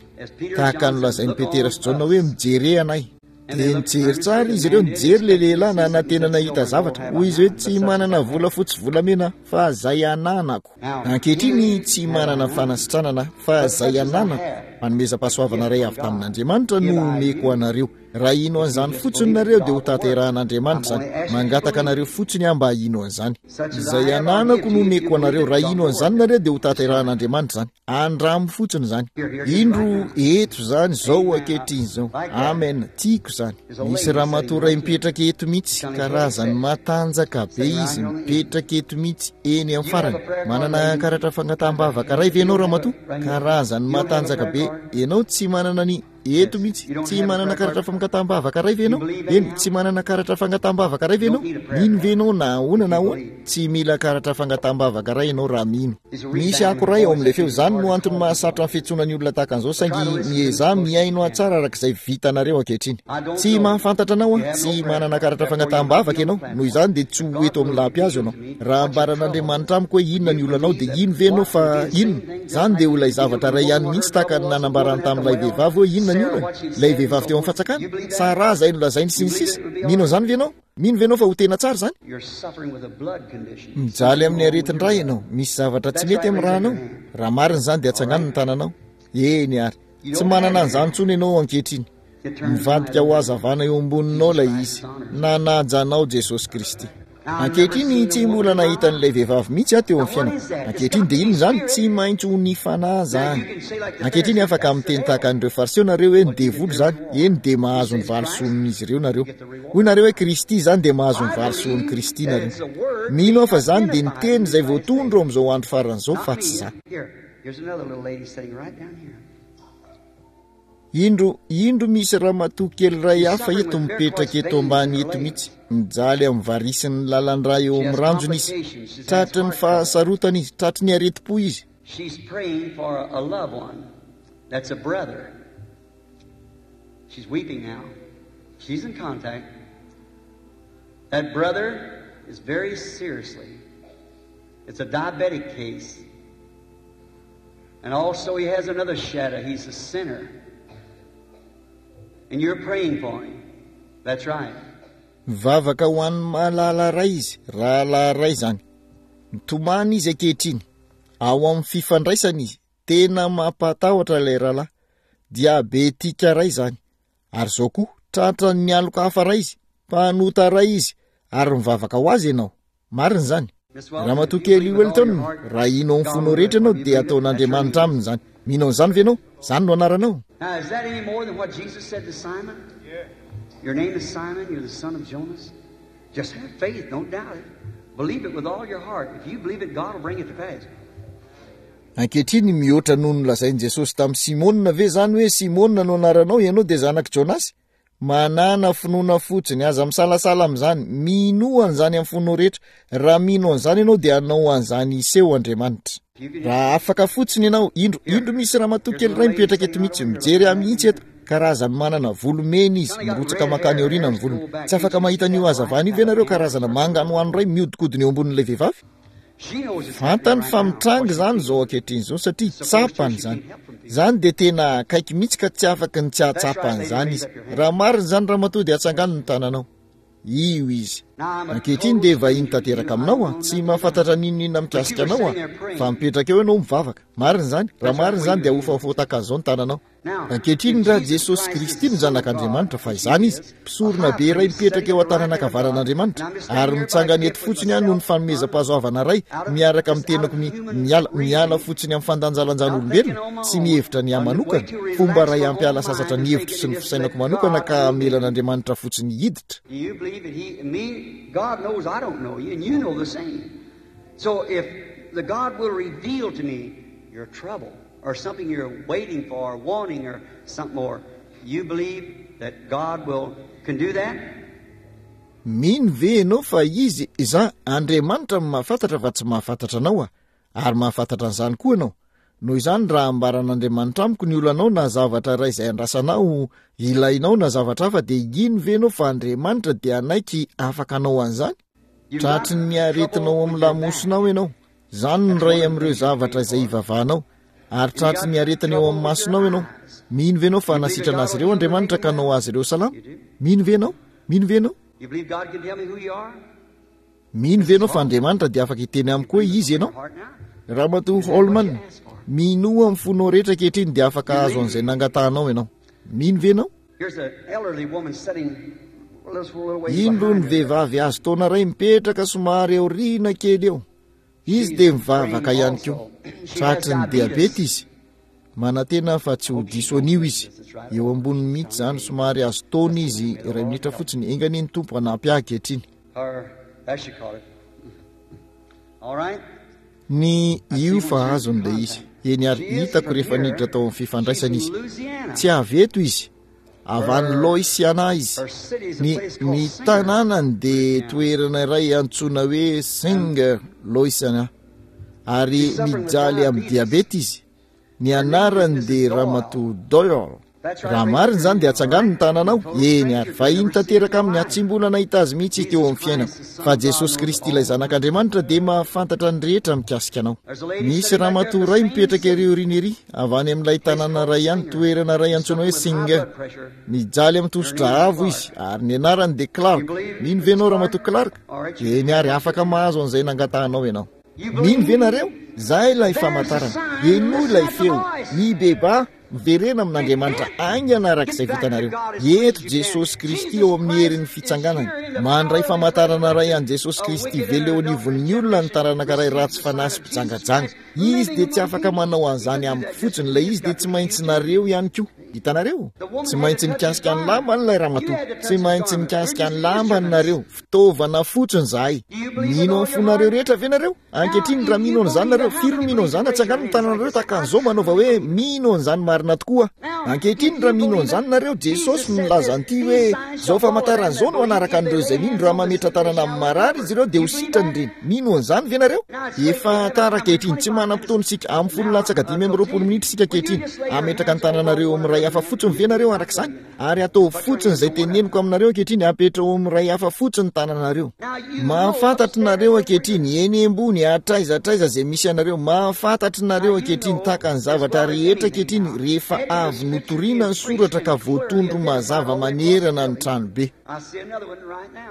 Tahaka ny lazain'i Petera sy Jaona hoe mijere anay. Dia nijery tsara izy ireo, nijery ilay lehilahy nanantena nahita zavatra. Hoy izy hoe tsy manana vola fotsy volamena fa izay ananako. Ankehitriny tsy manana fanasitranana fa izay ananako. Fanomezam-pahasoavana iray avy tamin'Andriamanitra no omeko anareo. Raha hino an'izany fotsiny nareo dia ho tanterahan'Andriamanitra izany. Mangataka anareo fotsiny aho mba hino an'izany. Izay ananako no omeko anareo. Raha hino an'izany nareo dia ho tanterahan'Andriamanitra izany. Andramo fotsiny izany. Indro eto izany izao ankehitriny izao. Amen, tiako izany. Misy ramatoa iray mipetraka eto mihitsy, karazany matanjaka be izy, mipetraka eto mihitsy eny amin'ny farany. Manana karatra fangataham-bavaka iray ve ianao ramatoa? Karazany matanjaka be. Ianao tsy manana ny eto mihitsy. Tsy manana karatra fangataham-bavaka iray ve ianao? Eny, tsy manana karatra fangataham-bavaka iray ve ianao? Mino ve ianao na ahoana na ahoana? Tsy mila karatra fangataham-bavaka iray ianao raha mino. Misy ako iray ao amin'ilay feo. Izany no antony mahasarotra ny fiantsoana ny olona tahaka an'izao, saingy miezaha mihaino ahy tsara araka izay vitanareo ankehitriny. Tsy mahafantatra anao aho, tsy manana karatra fangataham-bavaka ianao, noho izany dia tsy ho eto amin'ny lampihazo ianao. Raha ambaran'Andriamanitra amiko hoe inona ny olanao dia ino ve ianao fa inona? Izany dia ho ilay zavatra iray ihany mihitsy tahaka ny nanambarany tamin'ilay vehivavy hoe inona ny olany? Ilay vehivavy teo amin'ny fatsakana? Saraha izay nolazainy sy ny sisa. Mino an'izany ve ianao? Mino ve ianao fa ho tena tsara izany? Mijaly amin'ny aretin-dra ianao. Misy zavatra tsy mety amin'ny rànao. Raha marina izany dia atsangano ny tananao. Eny ary. Tsy manana an'izany intsony ianao ankehitriny. Mivadika ho hazavana eo amboninao ilay izy. Nanaja anao Jesosy Kristy. Ankehitriny tsy mbola nahita an'ilay vehivavy mihitsy aho teo amin'ny fiainako. Ankehitriny dia inona izany? Tsy maintsy ho ny fanahy izany. Ankehitriny afaka miteny tahaka an'ireo Fariseo nareo hoe ny devoly izany. Eny, dia mahazo ny valisoan'izy ireo nareo. Hoy nareo hoe Kristy izany, dia mahazo ny valisoan'i Kristy nareo. Mino aho fa izany dia ny teny izay voatondro amin'izao andro farany izao fa tsy za. Indro, indro misy ramatoa kely iray hafa eto mipetraka eto ambany eto mihitsy. Mijaly amin'ny varisin'ny lalan-drà eo amin'ny ranjony izy. Tratry ny fahasarotana izy, tratry ny aretim-po izy. She's praying for a loved one that's a brother. She's weeping now. She's in contact. That brother is very seriously. It's a diabetic case. And also he has another shadow. He's a sinner. And you're praying for him. That's right. Mivavaka ho an'ny mahalala iray izy, rahalahy iray izany. Mitomany izy ankehitriny. Ao amin'ny fifandraisana izy. Tena mampatahotra ilay rahalahy. Diabetika iray izany. Ary izao koa, tratran'ny aloka hafa iray izy. Mpanota iray izy. Ary mivavaka ho azy ianao. Marina izany. Ramatoa kely Welton, raha hino amin'ny fonao rehetra ianao dia ataon'Andriamanitra aminy izany. Mino an'izany ve ianao? Izany no anaranao. Now, is that any more than what Jesus said to Simon? Your name is Simon, you're the son of Jonas. Just have faith, don't doubt it. Believe it with all your heart. If you believe it, God will bring it to pass. Ankehitriny, mihoatra noho ny nolazain'i Jesosy tamin'i Simona ve izany hoe Simona no anaranao, ianao dia zanak'i Jonasy? Manàna finoana fotsiny, aza misalasala amin'izany, minoa an'izany amin'ny fonao rehetra. Raha mino an'izany ianao dia hanao an'izany hiseho Andriamanitra. Raha afaka fotsiny ianao, indro, indro misy ramatoa kely iray mipetraka eto mihitsy, mijery ahy mihitsy eto, karazany manana volo mena izy, mirotsaka mankany aoriana ny volony. Tsy afaka mahita an'io hazavana io ve nareo, karazana manganohano iray mihodinkodina eo ambonin'ilay vehivavy? Fantany fa mitranga izany izao ankehitriny izao satria tsapany izany. Izany dia tena akaiky mihitsy ka tsy afaky ny tsy hahatsapa an'izany izy. Raha marina izany ramatoa dia atsangano ny tananao. Io izy. Ankehitriny dia vahiny tanteraka aminao aho, tsy mahafantatra n'inon'inona mikasika anao aho, fa mipetraka eo ianao mivavaka. Marina izany? Raha marina izany dia hofafotaka an'izao ny tananao. Ankehitriny raha Jesosy Kristy no Zanak'Andriamanitra, fa izany izy, mpisorona be iray mipetraka eo an-tanana ankavanan'Andriamanitra, ary mitsangana eto fotsiny aho noho ny fanomezam-pahasoavana iray miaraka amin'ny tenako mi, miala, miala fotsiny amin'ny fandanjalanjan'olombelona, tsy mihevitra ny ahy manokana, fomba iray hampiala sasatra ny hevitro sy ny fisainako manokana ka hamelan'Andriamanitra fotsiny hiditra. Do you believe that he, me, God knows I don't know you, and you know the same. So if the God will reveal to me your trouble, or something you're waiting for, or wanting, or something more, you believe that God will can do that? Mino ve ianao fa izy, izaho, Andriamanitra no mahafantatra fa tsy mahafantatra anao aho, ary mahafantatra an'izany koa ianao? Noho izany, raha ambaran'Andriamanitra amiko ny olanao na zavatra iray izay andrasanao, ilainao na zavatra hafa, dia hino ve ianao fa Andriamanitra dia hanaiky afaka hanao an'izany? Tratry ny aretina ao amin'ny lamosinao ianao. Izany no iray amin'ireo zavatra izay ivavahanao. Ary tratry ny aretina eo amin'ny masonao ianao. Mino ve ianao fa hanasitrana azy ireo Andriamanitra ka hanao azy ireo salama? Mino ve ianao? Mino ve ianao? Mino ve ianao fa Andriamanitra dia afaka hiteny amiko hoe izy ianao? Ramatoa Holman, minoa amin'ny fonao rehetra ankehitriny dia afaka hahazo an'izay nangatahanao ianao. Mino ve ianao? Indro ny vehivavy azo taona iray mipetraka somary aoriana kely eo. Izy dia mivavaka ihany koa. Tratry ny diabeta izy. Manantena fa tsy ho diso an'io izy. Eo amboniny mihitsy izany, somary azo taona izy, iray minitra fotsiny. Enga anie ny Tompo hanampy ahy ankehitriny. Ny io fa azony ilay izy. Eny ary, hitako rehefa niditra tao amin'ny fifandraisana izy. Tsy avy eto izy. Avy any Louisiana izy. Ny, ny tanànany dia toerana iray antsoina hoe Singer, Louisiana. Ary mijaly amin'ny diabeta izy. Ny anarany dia Ramatoa Doyle. Raha marina izany dia atsangano ny tananao. Eny ary, vahiny tanteraka aminy aho, tsy mbola nahita azy mihitsy teo amin'ny fiainako. Fa Jesosy Kristy ilay Zanak'Andriamanitra dia mahafantatra ny rehetra mikasika anao. Misy ramatoa iray mipetraka ery aoriana ery, avy any amin'ilay tanàna iray ihany, toerana iray antsoina hoe Singer. Mijaly amin'ny tosidra avo izy, ary ny anarany dia Clark. Mino ve ianao Ramatoa Clark? Eny ary, afaka mahazo an'izay nangatahanao ianao. Mino ve nareo? Izay ilay famantarana. Henoy ilay feo. Mibebaha, miverena amin'Andriamanitra haingana araka izay vitanareo. Eto Jesosy Kristy ao amin'ny herin'ny fitsanganany. Mandray famantarana iray an'i Jesosy Kristy velona eo anivon'ny olona ny taranaka iray ratsy fanahy sy mpijangajanga. Izy dia tsy afaka manao an'izany amiko fotsiny, ilay izy dia tsy maintsy nareo ihany koa. Hitanareo? Tsy maintsy nikasika ny lambany ilay ramatoa. Tsy maintsy nikasika ny lambany nareo. Fitaovana fotsiny izahay. Mino amin'ny fonareo rehetra ve nareo? Ankehitriny, raha mino an'izany nareo, firy no mino an'izany? Atsangano ny tananareo tahaka an'izao, manaova hoe, Mino an'izany marina tokoa aho. Ankehitriny, raha mino an'izany nareo, Jesosy no nilaza an'ity hoe, Izao famantarana izao no hanaraka an'ireo izay mino, raha mametra-tanana amin'ny marary izy ireo dia ho sitrany ireny. Mino an'izany ve nareo? Efa tara ankehitriny, tsy manam-potoana isika. Amin'ny folo latsaka dimy amby roapolo minitra isika ankehitriny. Hametraka ny tananareo amin'ny iray hafa fotsiny ve nareo araka izany? Ary ataovy fotsiny izay teneniko aminareo ankehitriny, apetraho amin'ny iray hafa fotsiny ny tananareo. Mahafantatry nareo ankehitriny, eny ambony, hatraiza hatraiza izay misy anareo, mahafantatry nareo ankehitriny, tahaka ny zavatra rehetra ankehitriny, rehefa avy notorina ny soratra ka voatondro mazava manerana ny tranobe.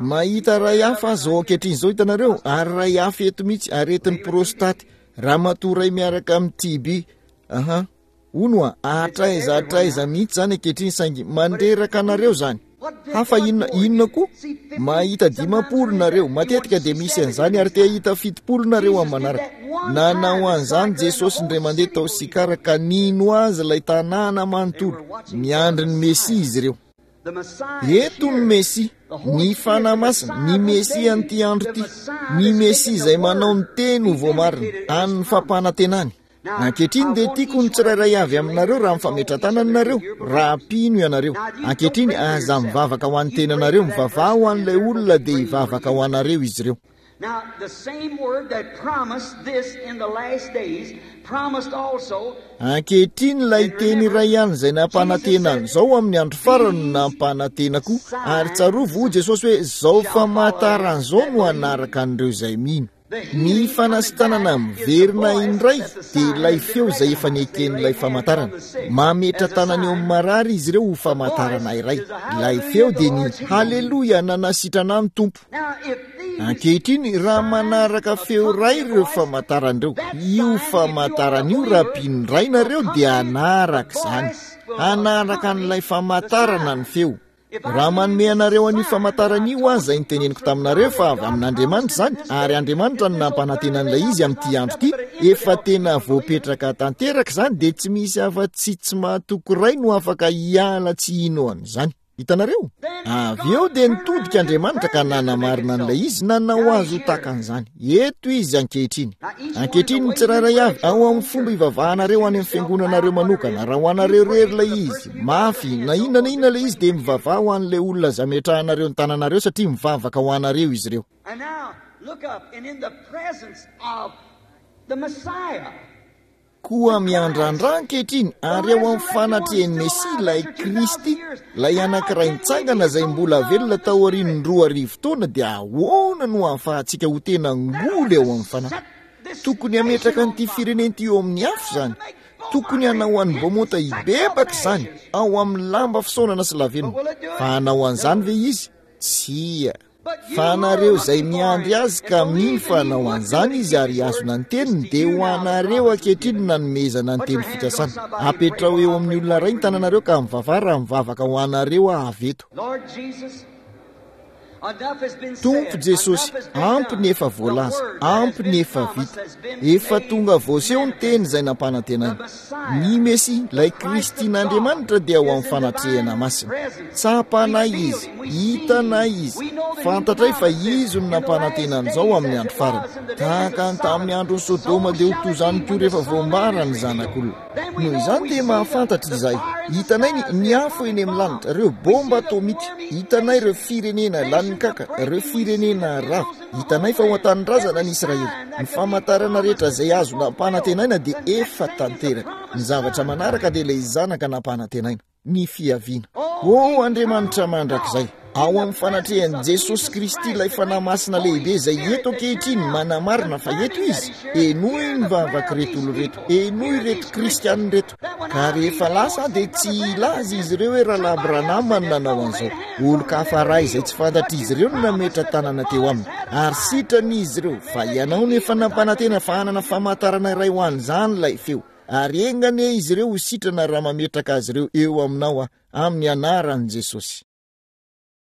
Mahita iray hafa aho izao ankehitriny izao, hitanareo, ary iray hafa eto mihitsy, aretin'ny prostaty, ramatoa iray miaraka amin'ny T B. Aha. Hono a, hatraiza hatraiza mihitsy izany ankehitriny, saingy mandreraka anareo izany. Hafa inona, inona koa? Mahita dimampolo nareo, matetika dia misy an'izany, ary te hahita fitopolo nareo amin'ny manaraka. Nanao an'izany Jesosy indray mandeha tao Sikara ka nino azy ilay tanàna manontolo. Miandry ny Mesia izy ireo. Eto ny Mesia, ny Fanahy Masina, ny Mesia an'ity andro ity, ny Mesia izay manao ny teny ho voamarina, an'ny fampanantenany. Ankehitriny dia tiako ny tsirairay avy aminareo raha mifametra-tanana nareo, raha mpino ianareo. Ankehitriny aza mivavaka ho an'ny tenanareo, mivavaha ho an'ilay olona dia hivavaka ho anareo izy ireo. Ankehitriny ilay teny iray ihany izay nampanantena an'izao amin'ny andro farany no nampanantena koa. Ary tsarovy, hoy Jesosy hoe, Izao famantaran'izao no hanaraka an'ireo izay mino. Ny fanasitranana miverina indray dia ilay feo izay efa neken'ilay famantarana. Mametra tanana eo amin'ny marary izy ireo ho famantarana iray. Ilay feo dia ny haleloia nanasitrana ny Tompo. Ankehitriny, raha manaraka feo iray ireo famantarana ireo, io famantarana io raha mpino iray nareo dia hanaraka izany. Hanaraka an'ilay famantarana ny feo. Raha manome anareo an'io famantarana io aho, izay niteneniko taminareo fa avy amin'Andriamanitra izany, ary Andriamanitra no nampanantena an'ilay izy amin'ity andro ity, efa tena voapetraka tanteraka izany, dia tsy misy afa-tsy tsy mahatoky iray no afaka hiala tsy hino an'izany. Hitanareo? Avy eo dia nitodika Andriamanitra ka nanamarina an'ilay izy, nanao azy ho tahaka an'izany. Eto izy ankehitriny. Ankehitriny ny tsirairay avy, ao amin'ny fomba ivavahanareo any amin'ny fiangonanareo manokana, raha ho anareo irery ilay izy, mafy, na inona na inona ilay izy, dia mivavaha ho an'ilay olona izay ametrahanareo ny tananareo, satria mivavaka ho anareo izy ireo. And now, look up, and in the presence of the Messiah. Koa miandrandra ankehitriny, ary ao amin'ny fanatrehan'ny Mesia, ilay Kristy, ilay anankiray nitsangana izay mbola velona taorian'ny roa arivo taona, dia ahoana no ahafahantsika ho tena ngoly ao amin'ny fanahy? Tokony hametraka an'ity firenena ity eo amin'ny afo izany. Tokony hanao an'i Beaumont hibebaka izany ao amin'ny lamba fisaonana sy lavenona. Fa hanao an'izany ve izy? Tsia. Fa anareo izay miandry azy ka mino fa hanao an'izany izy ary hihazona ny teniny, dia ho anareo ankehitriny no nanomezana ny teny fikasana. Apetraho eo amin'ny olona iray ny tananareo ka mivavaha raha mivavaka ho anareo aho avy eto. Tompo Jesosy, ampy ny efa voalaza, ampy ny efa vita. Efa tonga voaseho ny teny izay nampanantenaina. Ny Mesia, ilay Kristin'Andriamanitra, dia ao amin'ny fanatrehana masina. Tsapanay Izy, hitanay Izy, fantatray fa Izy no nampanantena an'izao amin'ny andro farany. Tahaka ny tamin'ny andron'i Sodoma dia ho toy izany koa rehefa voambara ny Zanak'olona. Noho izany dia mahafantatra izahay. Hitanay ny, ny afo eny amin'ny lanitra, ireo bomba atomika. Hitanay ireo firenena lanin'ny kaka, ireo firenena rava. Hitanay fa ao an-tanindrazana ny Israely. Ny famantarana rehetra izay azo nampanantenaina dia efa tanteraka. Ny zavatra manaraka dia ilay Zanaka nampanantenaina. Ny fiaviana. O Andriamanitra mandrakizay, ao amin'ny fanatrehan'i Jesosy Kristy ilay Fanahy Masina lehibe izay eto ankehitriny manamarina fa eto Izy, henoy ny vavak'ireto olona ireto, henoy ireto kristiana ireto. Ka rehefa lasa aho dia tsy hilaza izy ireo hoe Rahalahy Branham no nanao an'izao. Olon-kafa iray izay tsy fantatr'izy ireo no nametra-tanana teo aminy. Ary sitrana izy ireo, fa ianao no efa nampanantena fa hanana famantarana iray ho an'izany ilay feo. Ary enga anie izy ireo ho sitrana raha mametraka azy ireo eo aminao aho, amin'ny anaran'i Jesosy.